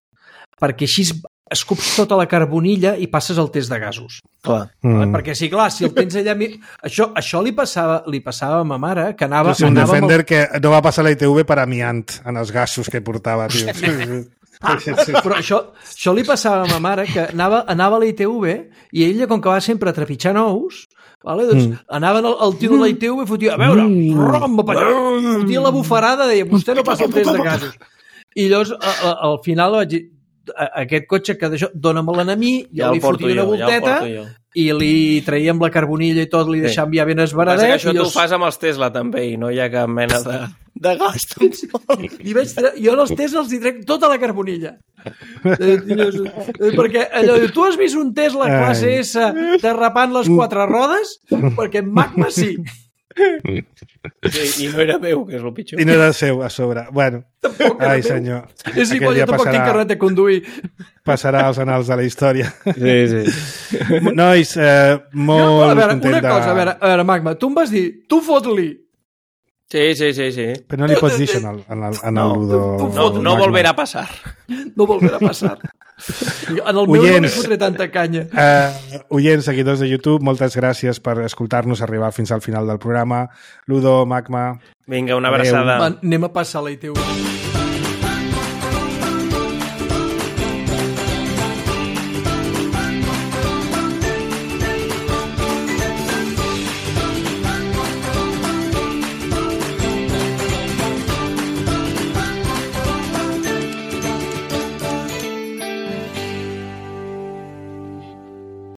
perquè així escups tota la carbonilla i passes el test de gasos. Clar. Mm. Perquè sí, clar, si el tens allà... mi- Això, això li, passava, li passava a ma mare, que anava... És un anava amb el- Defender que no va passar la I T V per amiant en els gasos que portava, tio. Però això, això li passava a ma mare, que anava, anava a la I T V i ella, com que va sempre trepitjant ous, vale, doncs mm. anaven el, el tio de la I T V i fotia, a veure, rom, fotia la bufarada, deia, vostè no passa el test de gasos. I llavors, a, a, al final vaig dir, a, aquest cotxe que d'això, dóna-me'l a mi, jo Ja el li porto fotia una jo, ja el volteta porto jo. i li traiem la carbonilla i tot, li Sí. deixàvem ja ben Passa que esbaradet. això i tu jo- ho fas amb els Tesla també i no hi ha cap mena de, de gasto. I vaig tre... Jo en els tests els hi trec tota la carbonilla. Eh, llavors, eh, perquè allò, tu has vist un Tesla classe Ai. S derrapant les quatre rodes? Perquè en Magma sí. Sí, i no era meu, que és el pitjor. I no era seu, a sobre. Bueno, Tampoc era ai, meu. senyor. És Aquell igual, dia jo tampoc tinc passarà- carnet de conduir. Passarà als anals de la història. Sí, sí. Nois, eh, molt Jo, a veure, content una de... cosa, a veure, a veure, Magma, tu em vas dir, tu fot-li. Sí, sí, sí, sí. Però no li pots dir això en el, en el, en el No, Ludo... tu No, fot- no volverà a passar. No volverà a passar. En el meu no li Oients. fotré tanta canya. Uh, oients, seguidors de YouTube, moltes gràcies per escoltar-nos arribar fins al final del programa. Ludo, Magma... Vinga, una abraçada. Va, anem a passar la I T V.